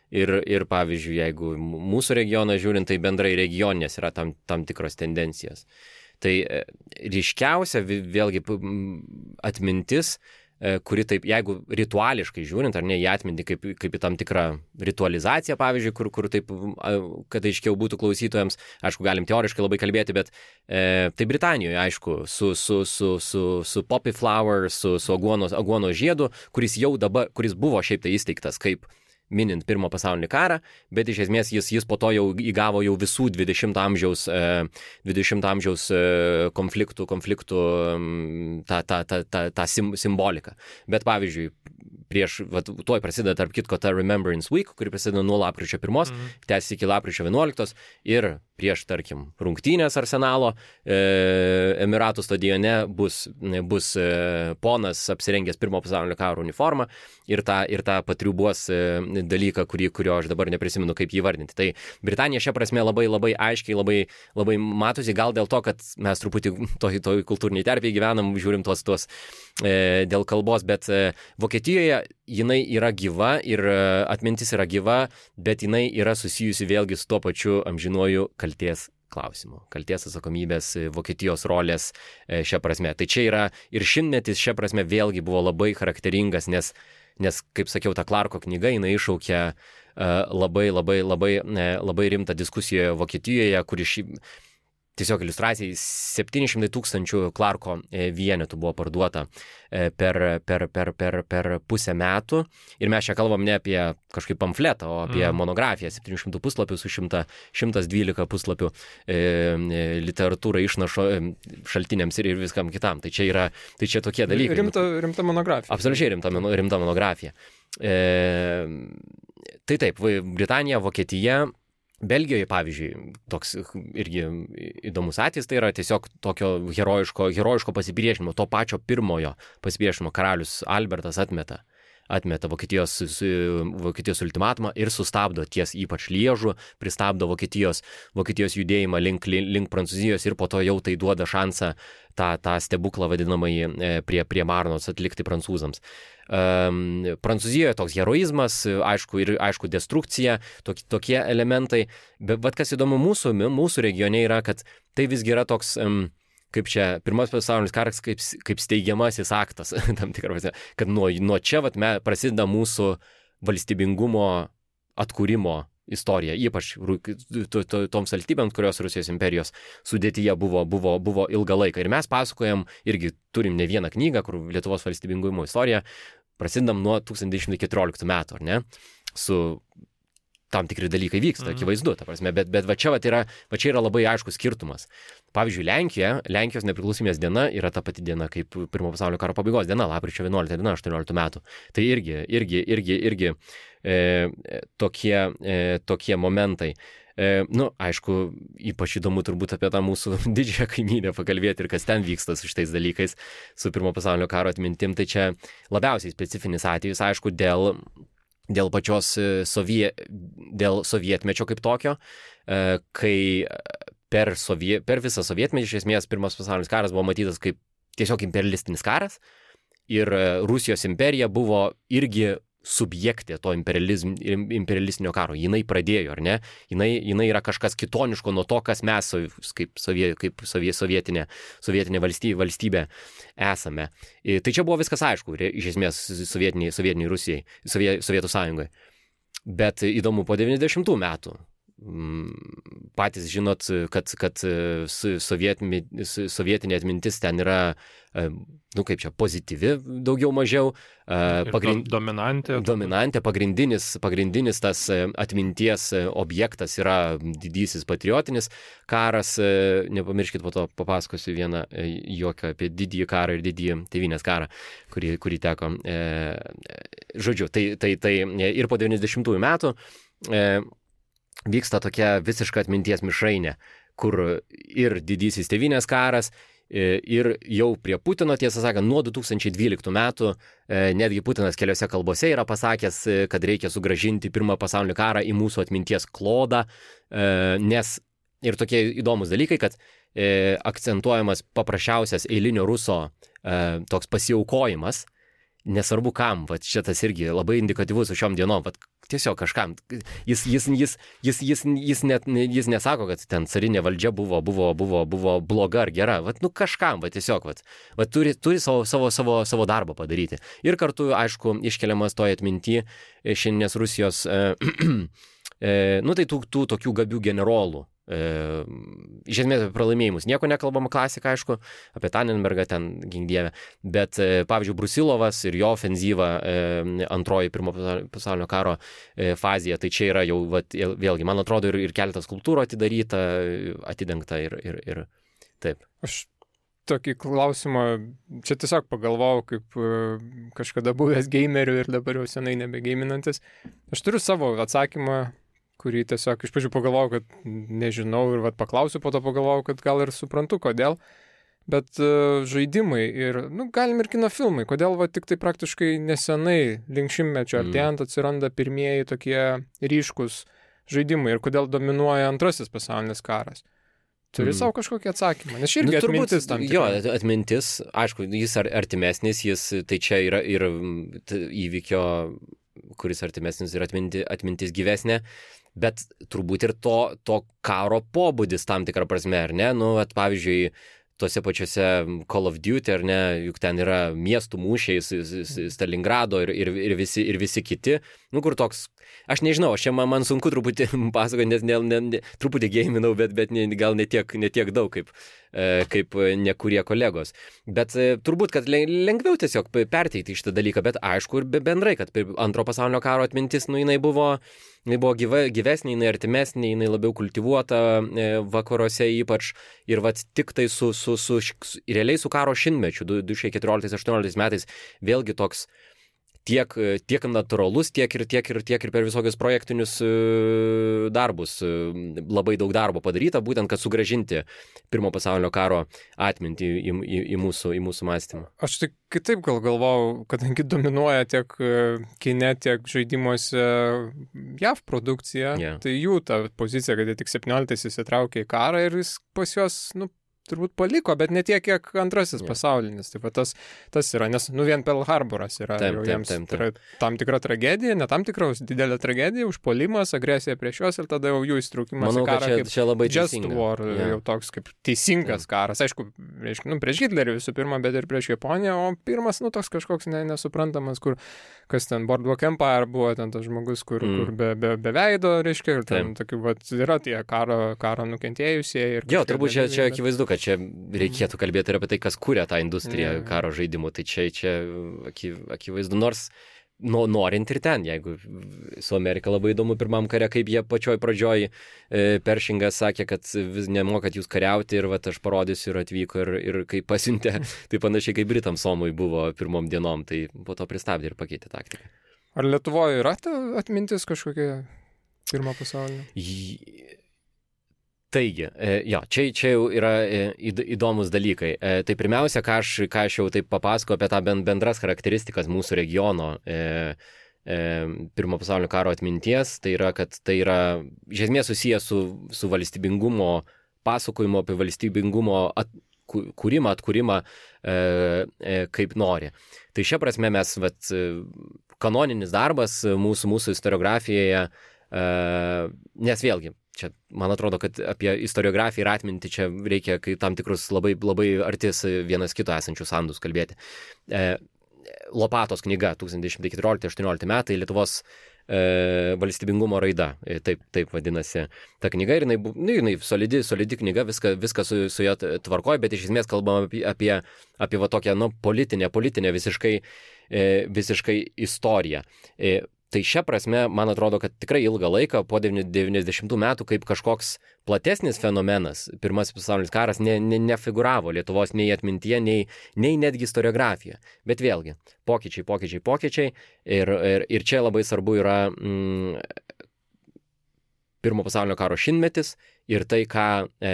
ir, ir pavyzdžiui, jeigu mūsų regioną žiūrint, tai bendrai regioninės yra tam, tam tikros tendencijos. Tai e, ryškiausia vėlgi atmintis, kuri taip, jeigu rituališkai žiūrint, ar ne, į atmintį kaip, kaip į tam tikrą ritualizaciją, pavyzdžiui, kur, kur taip, kad aiškiau būtų klausytojams, aišku, galim teoriškai labai kalbėti, bet e, tai Britanijoje, aišku, su, su, su, su, su Poppy Flower, su, su aguonos, aguonos žiedu, kuris jau dabar, kuris buvo šiaip tai įsteigtas kaip minint pirmo pasaulinį karą, bet iš esmės jis, jis po to jau įgavo jau visų dvidešimto amžiaus, dvidešimto amžiaus konfliktų, konfliktų tą, tą, tą, tą, tą sim, simboliką. Bet pavyzdžiui, prieš, va, tuoj prasideda tarp kitko ta Remembrance Week, kuri prasideda nuo lapkričio pirmos, mm-hmm. tęsiasi iki lapkričio vienuoliktos ir prieš, tarkim, rungtynės Arsenalo, e, Emiratų stadione bus, bus e, ponas apsirengęs pirmo pasaulinio karo uniformą ir tą, ir tą patriubuos e, dalyką, kurį, kurio aš dabar neprisimenu, kaip jį vardinti. Tai Britanija šia prasme labai, labai aiškiai, labai, labai matosi, gal dėl to, kad mes truputį toj, toj kultūriniai terpiai gyvenam, žiūrim tuos, tuos e, dėl kalbos, bet e, Vokietijoje jinai yra gyva ir e, atmintis yra gyva, bet jinai yra susijusi vėlgi su tuo pačiu amžinuoju kalties klausimu. Kalties atsakomybės, Vokietijos rolės šią prasme. Tai čia yra ir šimtmetis šią prasme vėlgi buvo labai charakteringas, nes, nes kaip sakiau, ta Clarko knyga, jinai iššaukia uh, labai, labai, labai, labai rimtą diskusiją Vokietijoje, kuri šį tiesiog iliustracijai septyni šimtai tūkstančių Clarko vienetų buvo parduota per, per, per, per, per pusę metų. Ir mes čia kalbam ne apie kažkaip pamfletą, o apie mm. monografiją, septynių šimtų puslapių su šimtas dvylika puslapių e, literatūra išnašo šaltiniams ir, ir viskam kitam. Tai čia yra, tai čia tokie dalykai. Rimta, rimta monografija. Absoliučiai rimta, rimta monografija. E, tai taip, Britanija, Vokietija, Belgijoje, pavyzdžiui, toks irgi įdomus atvejis, tai yra tiesiog tokio herojiško, herojiško pasipriešinimo, to pačio pirmojo pasipriešinimo karalius Albertas atmeta, atmeta Vokietijos, Vokietijos ultimatumą ir sustabdo ties ypač Liežų, pristabdo Vokietijos, Vokietijos judėjimą link, link Prancūzijos ir po to jau tai duoda šansą tą, tą stebuklą vadinamąjį prie, prie Marnos atlikti prancūzams. Um, Prancūzijoje toks heroizmas, aišku, ir aišku destrukcija, tokie, tokie elementai, bet, bet kas įdomu mūsų, mūsų regione yra, kad tai visgi yra toks, um, kaip čia, pirmas pasaulinis karas kaip, kaip steigiamasis aktas, tam tikras, kad nuo, nuo čia vat, me, prasideda mūsų valstybingumo atkūrimo istorija, ypač to, to, toms valstybėms, kurios Rusijos imperijos sudėtyje buvo, buvo, buvo ilgą laiką. Ir mes pasakojam, irgi turim ne vieną knygą, kur Lietuvos valstybingumo istorija, prasidedam nuo tūkstantis devyni šimtai keturioliktų metų, ar ne? Su tam tikri dalykai vyksta, mm. akivaizdu, ta prasme, bet, bet va čia, va, yra, va čia yra labai aiškus skirtumas. Pavyzdžiui, Lenkija, Lenkijos nepriklausomybės diena yra ta pati diena kaip pirmo pasaulinio karo pabaigos diena, lapkričio vienuolikta diena aštuonioliktų metų. Tai irgi, irgi, irgi, irgi e, tokie, e, tokie momentai. E, nu, aišku, ypač įdomu turbūt apie tą mūsų didžiąją kaimynę pakalbėti ir kas ten vyksta su šitais dalykais, su pirmo pasaulinio karo atmintim. Tai čia labiausiai specifinis atvejis, aišku, dėl dėl pačios sovie, dėl sovietmečio kaip tokio, kai per, sovie, per visą sovietmetį iš esmės pirmas pasaulinis karas buvo matytas kaip tiesiog imperialistinis karas ir Rusijos imperija buvo irgi subjektė to imperialistinio karo. Jinai pradėjo, ar ne? Jinai, jinai yra kažkas kitoniško nuo to, kas mes kaip, sovie, kaip sovie, sovietinė, sovietinė valstybė, valstybė esame. Tai čia buvo viskas aišku, iš esmės sovietiniai, sovietiniai Rusijai, sovie, Sovietų sąjungai. Bet įdomu po devyniasdešimtų metų. Patys žinot, kad, kad sovietinė atmintis ten yra, nu kaip čia, pozityvi daugiau mažiau. Pagrind... Dominantė. Dominantė, pagrindinis, pagrindinis tas atminties objektas yra didysis patriotinis karas. Nepamirškit, po to papasakosiu vieną juoką apie didįjį karą ir didįjį tėvynės karą, kurį, kurį teko. Žodžiu, tai, tai, tai ir po devyniasdešimtųjų metų vyksta tokia visiška atminties mišrainė, kur ir didysis tėvynės karas, ir jau prie Putino, tiesą sakant, nuo du tūkstančiai dvyliktų metų, netgi Putinas keliose kalbose yra pasakęs, kad reikia sugrąžinti pirmą pasaulinį karą į mūsų atminties klodą, nes ir tokie įdomus dalykai, kad akcentuojamas paprasčiausias eilinio ruso toks pasiaukojimas, nesvarbu kam, va šitas irgi labai indikatyvus su šiom dienom, va tiesiog kažkam, jis, jis, jis, jis, jis, jis, net, jis nesako, kad ten carinė valdžia buvo, buvo, buvo, buvo bloga ar gera, va nu kažkam, va tiesiog, va, va turi, turi savo, savo, savo, savo darbą padaryti. Ir kartu, aišku, iškeliamas toje atminty šiandienės Rusijos, e, e, nu tai tų, tų tokių gabių generolų. E, iš esmės apie pralaimėjimus nieko nekalbama, klasika, aišku, apie Tannenbergą ten gingdievę, bet e, pavyzdžiui Brusilovas ir jo ofenzyva e, antroji pirmo pasaulinio karo e, fazėje, tai čia yra jau vat, vėlgi, man atrodo, ir, ir keletas skulptūrų atidaryta, atidengta ir, ir, ir taip. Aš tokį klausimą, čia tiesiog pagalvojau, kaip uh, kažkada buvęs gamerių ir dabar jau senai nebegeiminantis. Aš turiu savo atsakymą, kurį tiesiog iš pradžių pagalvojau, kad nežinau ir vat paklausiu, po to pagalvojau, kad gal ir suprantu, kodėl. Bet uh, žaidimai ir, nu, galim ir kino filmai, kodėl va tik tai praktiškai nesenai, link šimtmečio artėjant, atsiranda pirmieji tokie ryškus žaidimai ir kodėl dominuoja antrasis pasaulinis karas. Turi mm. savo kažkokį atsakymą, nes irgi nu, atmintis tam tikrai. Jo, atmintis, aišku, jis artimesnis, jis, tai čia yra ir įvykio, kuris artimesnis ir atminti, atmintis gyvesnė, bet turbūt ir to, to karo pobūdis tam tikrą prasme, ar ne? Nu, at, pavyzdžiui, tuose pačiuose Call of Duty, ar ne, juk ten yra miestų mūšiai, Stalingrado ir, ir, ir, visi, ir visi kiti, nu, kur toks, aš nežinau, aš čia man, man sunku truputį pasakoti, nes ne, ne, ne, truputį geiminau, bet, bet ne, gal ne tiek, ne tiek daug kaip, e, kaip nekurie kolegos. Bet e, turbūt, kad lengviau tiesiog perteikti šitą dalyką, bet aišku ir bendrai, kad antro pasaulinio karo atmintis, nu, jinai buvo, jinai buvo gyva, gyvesnė, jinai artimesnė, jinai labiau kultivuota e, vakaruose ypač, ir vat tik tai su, su, su, su realiai su karo šimtmečiu, du tūkstančiai keturioliktais aštuonioliktais metais, vėlgi toks tiek, tiek natūralus, tiek ir, tiek, ir, tiek ir per visokius projektinius darbus. Labai daug darbo padaryta, būtent, kad sugrąžinti pirmo pasaulinio karo atmintį į, į, į, mūsų, į mūsų mąstymą. Aš tik kitaip gal galvojau, kadangi dominuoja tiek kine, tiek žaidimuose J A V produkcija, yeah. Tai jų ta pozicija, kad jie tik septynioliktais įsitraukė į karą ir jis pas juos, nu, turbūt paliko, bet ne tiek, kiek antrasis yeah. pasaulinis. Taip, tas, tas yra, nes, nu, vien Pearl Harboras yra taip, jau taip, jiems taip, taip. tam tikra tragedija, ne tam tikra didelė tragedija, užpuolimas, agresija prieš juos ir tada jau jų įsitraukimas Manau, į karą čia, kaip čia labai just teisinga. war, yeah. jau toks kaip teisingas yeah. karas. Aišku, reiškia, nu, prieš Hitlerį visų pirma, bet ir prieš Japoniją, o pirmas, nu, toks kažkoks ne, nesuprantamas, kur, kas ten Boardwalk Empire buvo, ten tas žmogus, kur, mm. kur be, be, be veido, reiškia, ir ten tokių, vat, yra tie karo, karo nukentėjusieji. Jo, turbūt čia, čia akivaizdu, kad čia reikėtų kalbėti ir apie tai, kas kuria tą industriją yeah. karo žaidimų. Tai čia, čia akivaizdu, nors nu, norint ir ten, jeigu su Amerika labai įdomu pirmam kare, kaip jie pačioj pradžioj e, Peršingas sakė, kad vis nemokat jūs kariauti ir vat aš parodysiu ir atvyko ir, ir kai pasiuntė, tai panašiai kaip Britam Somui buvo pirmom dienom, tai po to pristabdė ir pakeitė taktiką. Ar Lietuvoje yra ta atmintis kažkokia pirmo pasaulinio? J... Taigi, jo, čia, čia jau yra įdomus dalykai. Tai pirmiausia, ką aš, ką aš jau taip papasakau apie tą bendras charakteristikas mūsų regiono e, e, pirmo pasaulinio karo atminties, tai yra, kad tai yra iš esmės susijęs su, su valstybingumo pasakojimu apie valstybingumo at, kūrimą, atkūrimą e, e, kaip nori. Tai šia prasme mes, vat, kanoninis darbas mūsų, mūsų istoriografijoje, e, nes vėlgi, čia, man atrodo, kad apie istoriografiją ir atmintį čia reikia kai tam tikrus labai, labai artis vienas kito esančius sandus kalbėti. E, Lopatos knyga tūkstantis devyni šimtai keturiolikti aštuoniolikti metai Lietuvos e, valstybingumo raida, e, taip, taip vadinasi ta knyga ir jinai, nu, jinai solidi, solidi knyga, viską, viską su, su ją tvarkoja, bet iš esmės kalbam apie, apie, apie va tokią, nu, politinę, politinę visiškai, e, visiškai istoriją. E, Tai šia prasme, man atrodo, kad tikrai ilgą laiką, po devyniasdešimtų metų, kaip kažkoks platesnis fenomenas, pirmasis pasaulinis karas, ne, ne, nefiguravo Lietuvos nei atmintyje, nei, nei netgi istoriografija. Bet vėlgi, pokyčiai, pokyčiai, pokyčiai. Ir, ir, ir čia labai svarbu yra mm, pirmo pasaulinio karo šimtmetis ir tai, ką,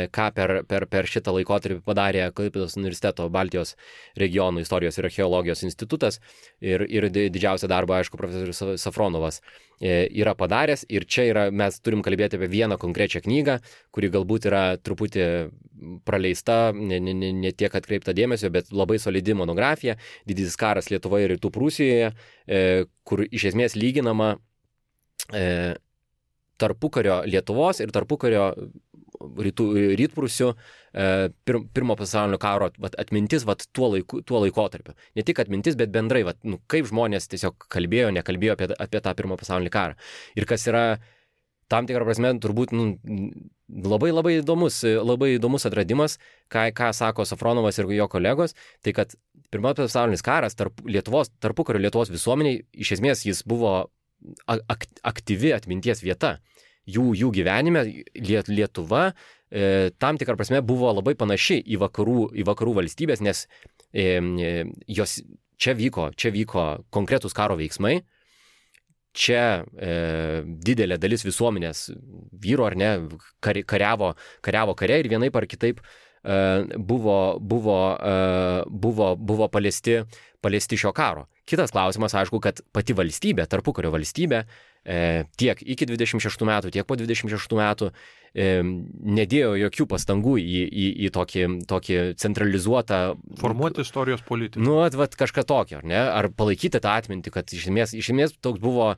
ką per, per, per šitą laikotarpį padarė Klaipėdos universiteto Baltijos regionų istorijos ir archeologijos institutas ir, ir didžiausią darbą, aišku, profesorius Safronovas yra padaręs. Ir čia yra, mes turim kalbėti apie vieną konkrečią knygą, kuri galbūt yra truputį praleista, ne, ne, ne tiek atkreipta dėmesio, bet labai solidi monografija, Didysis karas Lietuvoje ir Rytų Prūsijoje, kur iš esmės lyginama tarpukario Lietuvos ir tarpukario rytų, rytprūsių pir, pirmo pasaulinio karo vat, atmintis vat, tuo, laiku, tuo laikotarpiu. Ne tik atmintis, bet bendrai, vat, nu, kaip žmonės tiesiog kalbėjo, nekalbėjo apie, apie tą pirmo pasaulinį karą. Ir kas yra tam tikrą prasme turbūt nu, labai labai įdomus, labai įdomus atradimas, ką, ką sako Safronovas ir jo kolegos, tai kad pirmasis pasaulinis karas tarp Lietuvos, tarpukario Lietuvos visuomeniai, iš esmės jis buvo ak, aktyvi atminties vieta. Jų, jų gyvenime Lietuva e, tam tikrą prasme buvo labai panaši į vakarų, į vakarų valstybės, nes e, jos čia vyko, čia vyko konkretūs karo veiksmai, čia e, didelė dalis visuomenės vyro ar ne kari, kariavo, kariavo kare ir vienaip ar kitaip e, buvo, buvo, e, buvo, buvo paliesti, paliesti šio karo. Kitas klausimas, aišku, kad pati valstybė, tarpukario valstybė, e, tiek iki dvidešimt šeštų metų, tiek po dvidešimt šeštų metų e, nedėjo jokių pastangų į, į, į tokį, tokį centralizuotą... Formuoti istorijos politiką. Nu, vat kažką tokio, ar ne? Ar palaikyti tą atmintį, kad iš esmės, iš esmės toks buvo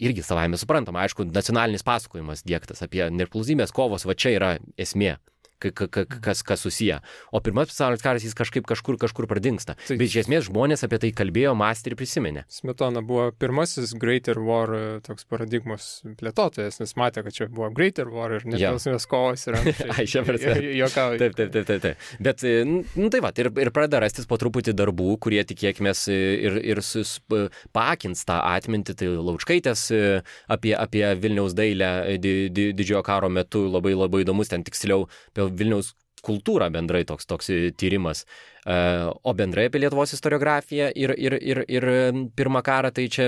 irgi savaime suprantama, aišku, nacionalinis pasakojimas diegtas apie nepriklausomybės kovos, va čia yra esmė. Kas, kas susiję. O pirmas pasaulinis karas jis kažkaip kažkur, kažkur pradingsta. Tai, bet iš esmės žmonės apie tai kalbėjo, mąstė ir prisiminė. Smetona buvo pirmasis Greater War toks paradigmos plėtotojas, nes matė, kad čia buvo Greater War ir nepriklausomybės kovos ir Ai, šią prasme. Juokauju. Taip, taip, taip, taip, taip. Bet, nu tai va, ir, ir pradeda rastis po truputį darbų, kurie tikėkime ir, ir sus, paakins tą atmintį. Tai Laučkaitės apie, apie Vilniaus dailę di, di, didžiojo karo metu labai labai įdomus, ten tiksliau apie Vilniaus kultūrą bendrai toks, toks tyrimas. O bendrai apie Lietuvos istoriografiją ir, ir, ir, ir pirmą karą, tai čia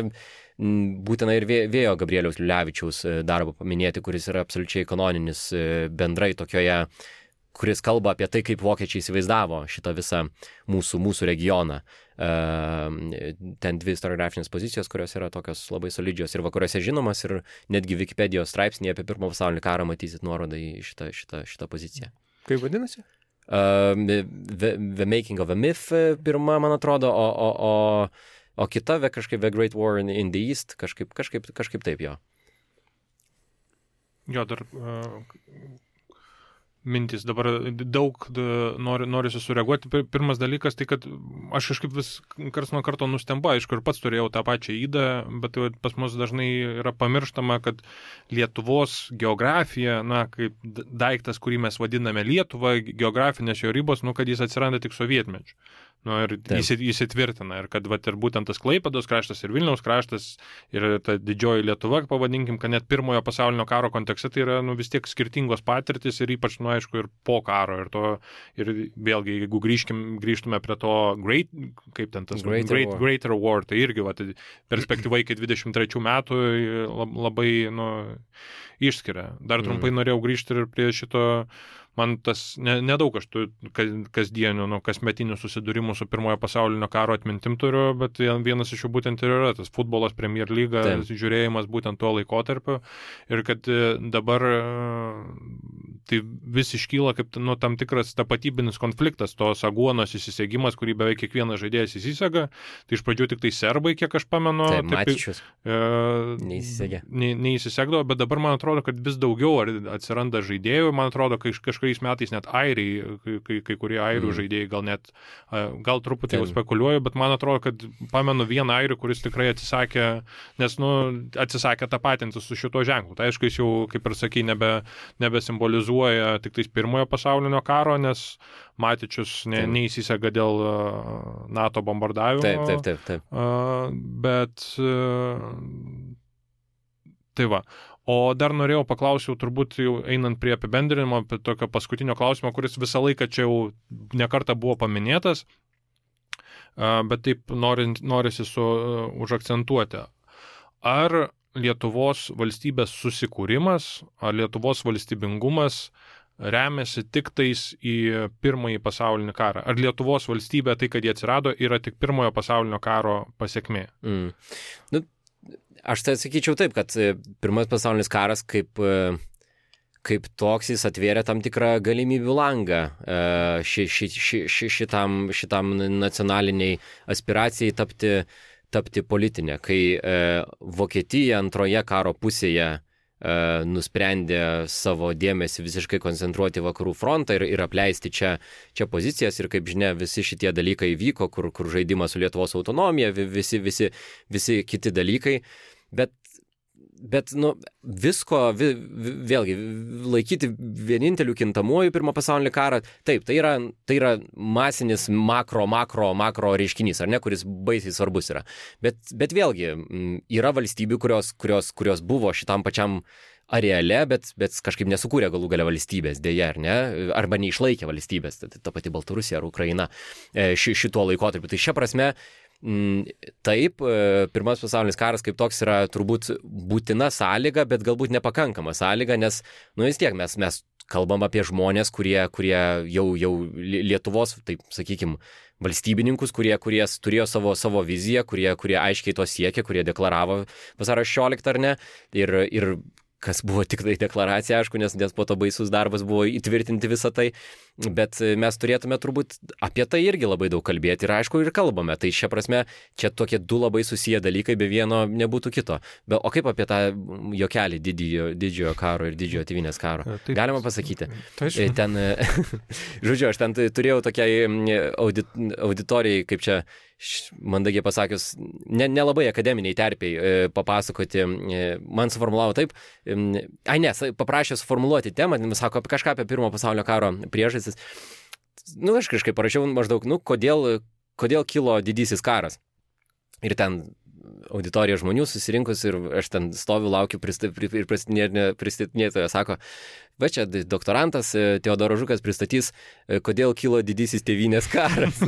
būtina ir Vėjo Gabrieliaus Liulevičiaus darbą paminėti, kuris yra absoliučiai kanoninis bendrai tokioje, kuris kalba apie tai, kaip vokiečiai įsivaizdavo šitą visą mūsų, mūsų regioną. Ten dvi istoriografinės pozicijos, kurios yra tokios labai solidžios ir vakaruose žinomas, ir netgi Wikipedijos straipsnėje apie pirmą pasaulinį karą matysit nuorodą į šitą, šitą, šitą poziciją. Kaip vadinasi? Uh, the, the Making of a Myth pirma, man atrodo, o, o, o, o kita kažkaip The Great War in, in the East, kažkaip, kažkaip, kažkaip taip jo. Jo, dar... Uh... mintis. Dabar daug nori, norisi sureaguoti. Pirmas dalykas, tai kad aš kažkaip vis kars nuo karto nustembu, aišku, ir pats turėjau tą pačią įdą, bet pas mus dažnai yra pamirštama, kad Lietuvos geografija, na, kaip daiktas, kurį mes vadiname Lietuva, geografinės jo ribos, nu, kad jis atsiranda tik sovietmečiu. Nu, ir jis įsitvirtina. Ir kad vat, ir būtent tas Klaipėdos kraštas ir Vilniaus kraštas ir ta didžioji Lietuva, pavadinkim, kad net pirmojo pasaulinio karo kontekste tai yra nu, vis tiek skirtingos patirtis ir ypač, nu, aišku, ir po karo. Ir, to, ir vėlgi, jeigu grįžkim, grįžtume prie to great, kaip ten tas Greater great, War. Greater War, tai irgi vat, perspektyva iki dvidešimt trečių metų labai nu, išskiria. Dar trumpai mm. norėjau grįžti ir prie šito. Man tas ne, nedaug aš tų kasdienių, nu, kasmetinių susidūrimų su pirmojo pasaulinio karo atmintim turiu, bet vienas iš jų būtent ir yra tas futbolas, Premier Lyga, Taip. žiūrėjimas būtent tuo laikotarpiu. Ir kad dabar tai vis iškyla kaip nu, tam tikras tapatybinis konfliktas, tos aguonos įsisegimas, kurį beveik kiekvienas žaidėjas įsisega. Tai iš pradžių tik tai serbai, kiek aš pamenu. Taip, Matičius. E, neįsisegė. Ne, neįsisegdavo, bet dabar man atrodo, kad vis daugiau atsiranda žaidėjų. Man atrodo, kai kažkaip kuriais metais net airiai, kai, kai kurie airių mm. žaidėjai gal net, gal truputį jau spekuliuoju, bet man atrodo, kad pamenu vieną airių, kuris tikrai atsisakė, nes, nu, atsisakė tapatintis su šito ženklu. Tai aišku, jis jau, kaip ir sakai, nebe, nebesimbolizuoja tik tais pirmojo pasaulinio karo, nes Matičius ne, neįsisega dėl NATO bombardavimo. Taip, taip, taip. taip. Uh, bet uh, tai va. O dar norėjau paklausiau, turbūt jau einant prie apibendrinimo, apie tokio paskutinio klausimo, kuris visą laiką čia jau nekartą buvo paminėtas, bet taip norint, norisi su, užakcentuoti. Ar Lietuvos valstybės susikūrimas, ar Lietuvos valstybingumas remiasi tik tais į pirmąjį pasaulinį karą? Ar Lietuvos valstybė, tai kad jie atsirado, yra tik pirmojo pasaulinio karo pasiekmė? Mm. Nu, Aš tai sakyčiau taip, kad pirmas pasaulinis karas kaip, kaip toks jis atvėrė tam tikrą galimybių langą ši, ši, ši, ši, šitam, šitam nacionaliniai aspiracijai tapti, tapti politinė. Kai Vokietija antroje karo pusėje nusprendė savo dėmesį visiškai koncentruoti vakarų frontą ir, ir apleisti čia, čia pozicijas ir kaip žinia visi šitie dalykai vyko, kur, kur žaidimas su Lietuvos autonomija, visi, visi, visi kiti dalykai, bet, bet nu, visko, vi, vėlgi, laikyti vieninteliu kintamuoju pirmą pasaulinį karą, taip, tai yra, tai yra masinis makro, makro, makro reiškinys, ar ne, kuris baisiai svarbus yra. Bet, bet vėlgi, yra valstybių, kurios, kurios, kurios buvo šitam pačiam areale, bet, bet kažkaip nesukūrė galų gale valstybės, dėja, ar ne, arba neišlaikė valstybės, ta, ta pati Baltarusija ar Ukraina ši, šituo laikotarpiu. Tai šia prasme, taip, pirmas pasaulinis karas kaip toks yra turbūt būtina sąlyga, bet galbūt nepakankama sąlyga, nes, nu vis tiek, mes, mes kalbam apie žmonės, kurie, kurie jau, jau Lietuvos, taip sakykime, valstybininkus, kurie, kurie turėjo savo, savo viziją, kurie, kurie aiškiai to siekė, kurie deklaravo vasario šešioliktą ar ne, ir, ir kas buvo tik tai deklaracija, aišku, nes, nes po to baisus darbas buvo įtvirtinti visą tai, bet mes turėtume turbūt apie tai irgi labai daug kalbėti ir aišku ir kalbame, tai šia prasme čia tokie du labai susiję dalykai, be vieno nebūtų kito. Be, o kaip apie tą jokelį didžiojo, didžiojo karo ir didžiojo tėvynės karo? Taip, galima pasakyti. Tai ten, žodžiu, aš ten turėjau tokiai audit, auditorijai, kaip čia mandagiai pasakius, ne, nelabai akademiniai terpiai e, papasakoti, e, man suformulavo taip, e, ai ne, paprašė suformuluoti temą, sako apie kažką apie pirmo pasaulinio karo priežastis. Nu, aš kažkaip parašiau maždaug, nu, kodėl, kodėl kilo didysis karas. Ir ten auditorija žmonių susirinkus ir aš ten stoviu, laukiu ir pristatinėtojo, sako, va čia doktorantas Teodoras Žukas pristatys, kodėl kilo didysis tėvynės karas.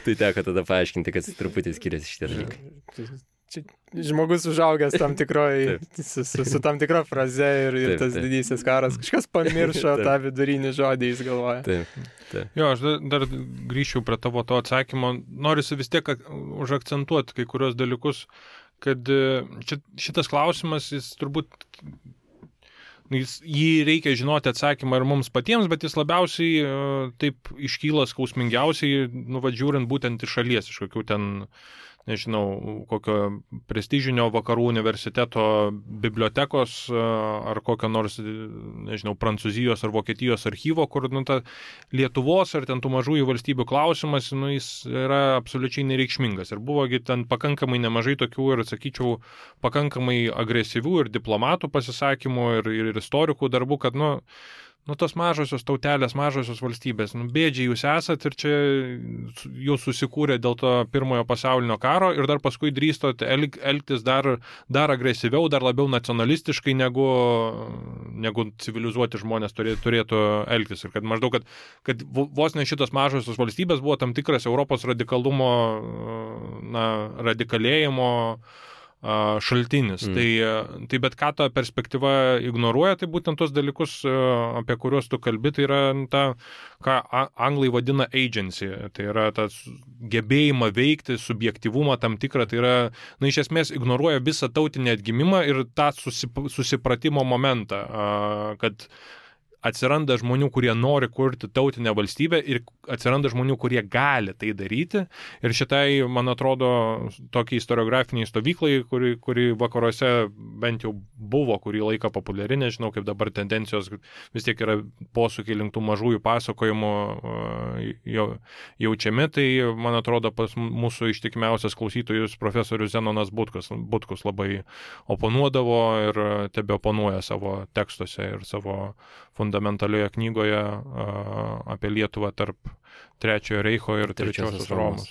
Tai teko tada paaiškinti, kad truputį skiriasi šitie dalykai. Čia žmogus užaugęs tam tikroj, su, su, su tam tikra fraze ir, ir taip, tas taip. Didysis karas. Kažkas pamiršo tą vidurinį žodį, jis galvoja. Taip, taip. Jo, aš dar, dar grįšiu prie tavo to atsakymo. Norisi vis tiek užakcentuoti kai kurios dalykus, kad šitas klausimas, jis turbūt, jis, jį reikia žinoti atsakymą ir mums patiems, bet jis labiausiai taip iškyla skausmingiausiai, nu, va, žiūrint būtent iš šalies, iš kokių ten, nežinau, kokio prestižinio vakarų universiteto bibliotekos ar kokio nors, nežinau, Prancūzijos ar Vokietijos archyvo, kur, nu, ta Lietuvos ar ten tų mažųjų valstybių klausimas, nu, jis yra absoliučiai nereikšmingas. Ir buvogi ten pakankamai nemažai tokių ir, sakyčiau, pakankamai agresyvių ir diplomatų pasisakymų ir, ir istorikų darbų, kad, nu, Nu, tos mažosios tautelės, mažosios valstybės, nu, bėdžiai jūs esat ir čia jūs susikūrė dėl to pirmojo pasaulinio karo ir dar paskui drįstot elg, elgtis dar, dar agresyviau, dar labiau nacionalistiškai, negu, negu civilizuoti žmonės turėtų, turėtų elgtis. Ir kad maždaug, kad, kad vos ne šitos mažosios valstybės buvo tam tikras Europos radikalumo, na, radikalėjimo šaltinis. Mm. Tai, tai bet ką ta perspektyva ignoruoja, tai būtent tos dalykus, apie kuriuos tu kalbi, tai yra ta, ką anglai vadina agency, tai yra tas gebėjimą veikti, subjektyvumą tam tikrą, tai yra, na, iš esmės ignoruoja visą tautinį atgimimą ir tą susip, susipratimo momentą, kad atsiranda žmonių, kurie nori kurti tautinę valstybę ir atsiranda žmonių, kurie gali tai daryti. Ir šitai, man atrodo, tokiai istoriografiniai stovyklai, kuri, kuri vakaruose bent jau buvo kurį laiką populiari, nežinau, kaip dabar tendencijos vis tiek yra posūkiai link tų mažųjų pasakojimų jaučiami, tai, man atrodo, pas mūsų ištikimiausias klausytojus profesorius Zenonas Butkus, Butkus labai oponuodavo ir tebe oponuoja savo tekstuose ir savo fundamentalioje knygoje a, apie Lietuvą tarp Trečiojo Reicho ir Trečiosios Romos.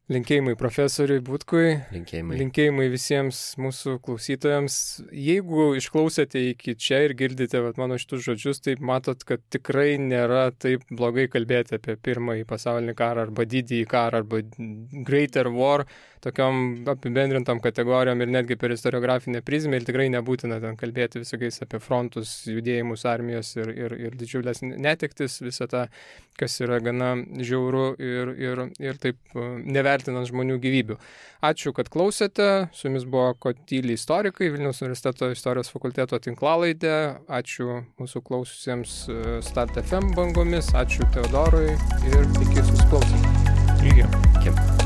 Linkėjimai profesoriui Butkui, linkėjimai. linkėjimai visiems mūsų klausytojams. Jeigu išklausėte iki čia ir girdite vat, mano šitus žodžius, tai matot, kad tikrai nėra taip blogai kalbėti apie pirmąjį pasaulinį karą arba didįjį karą arba Greater War, tokiom apibendrintom kategorijom ir netgi per istoriografinę prizmę ir tikrai nebūtina ten kalbėti visokiais apie frontus, judėjimus armijos ir, ir, ir didžiulės netektis, visą tą, kas yra gana žiauru ir, ir, ir taip nevertinant žmonių gyvybių. Ačiū, kad klausėte. Su jumis buvo Kotyli istorikai, Vilniaus universiteto istorijos fakulteto tinklalaidė. Ačiū mūsų klaususiems Start F M bangomis. Ačiū Teodorui ir iki susiklausimo. Iki. Iki.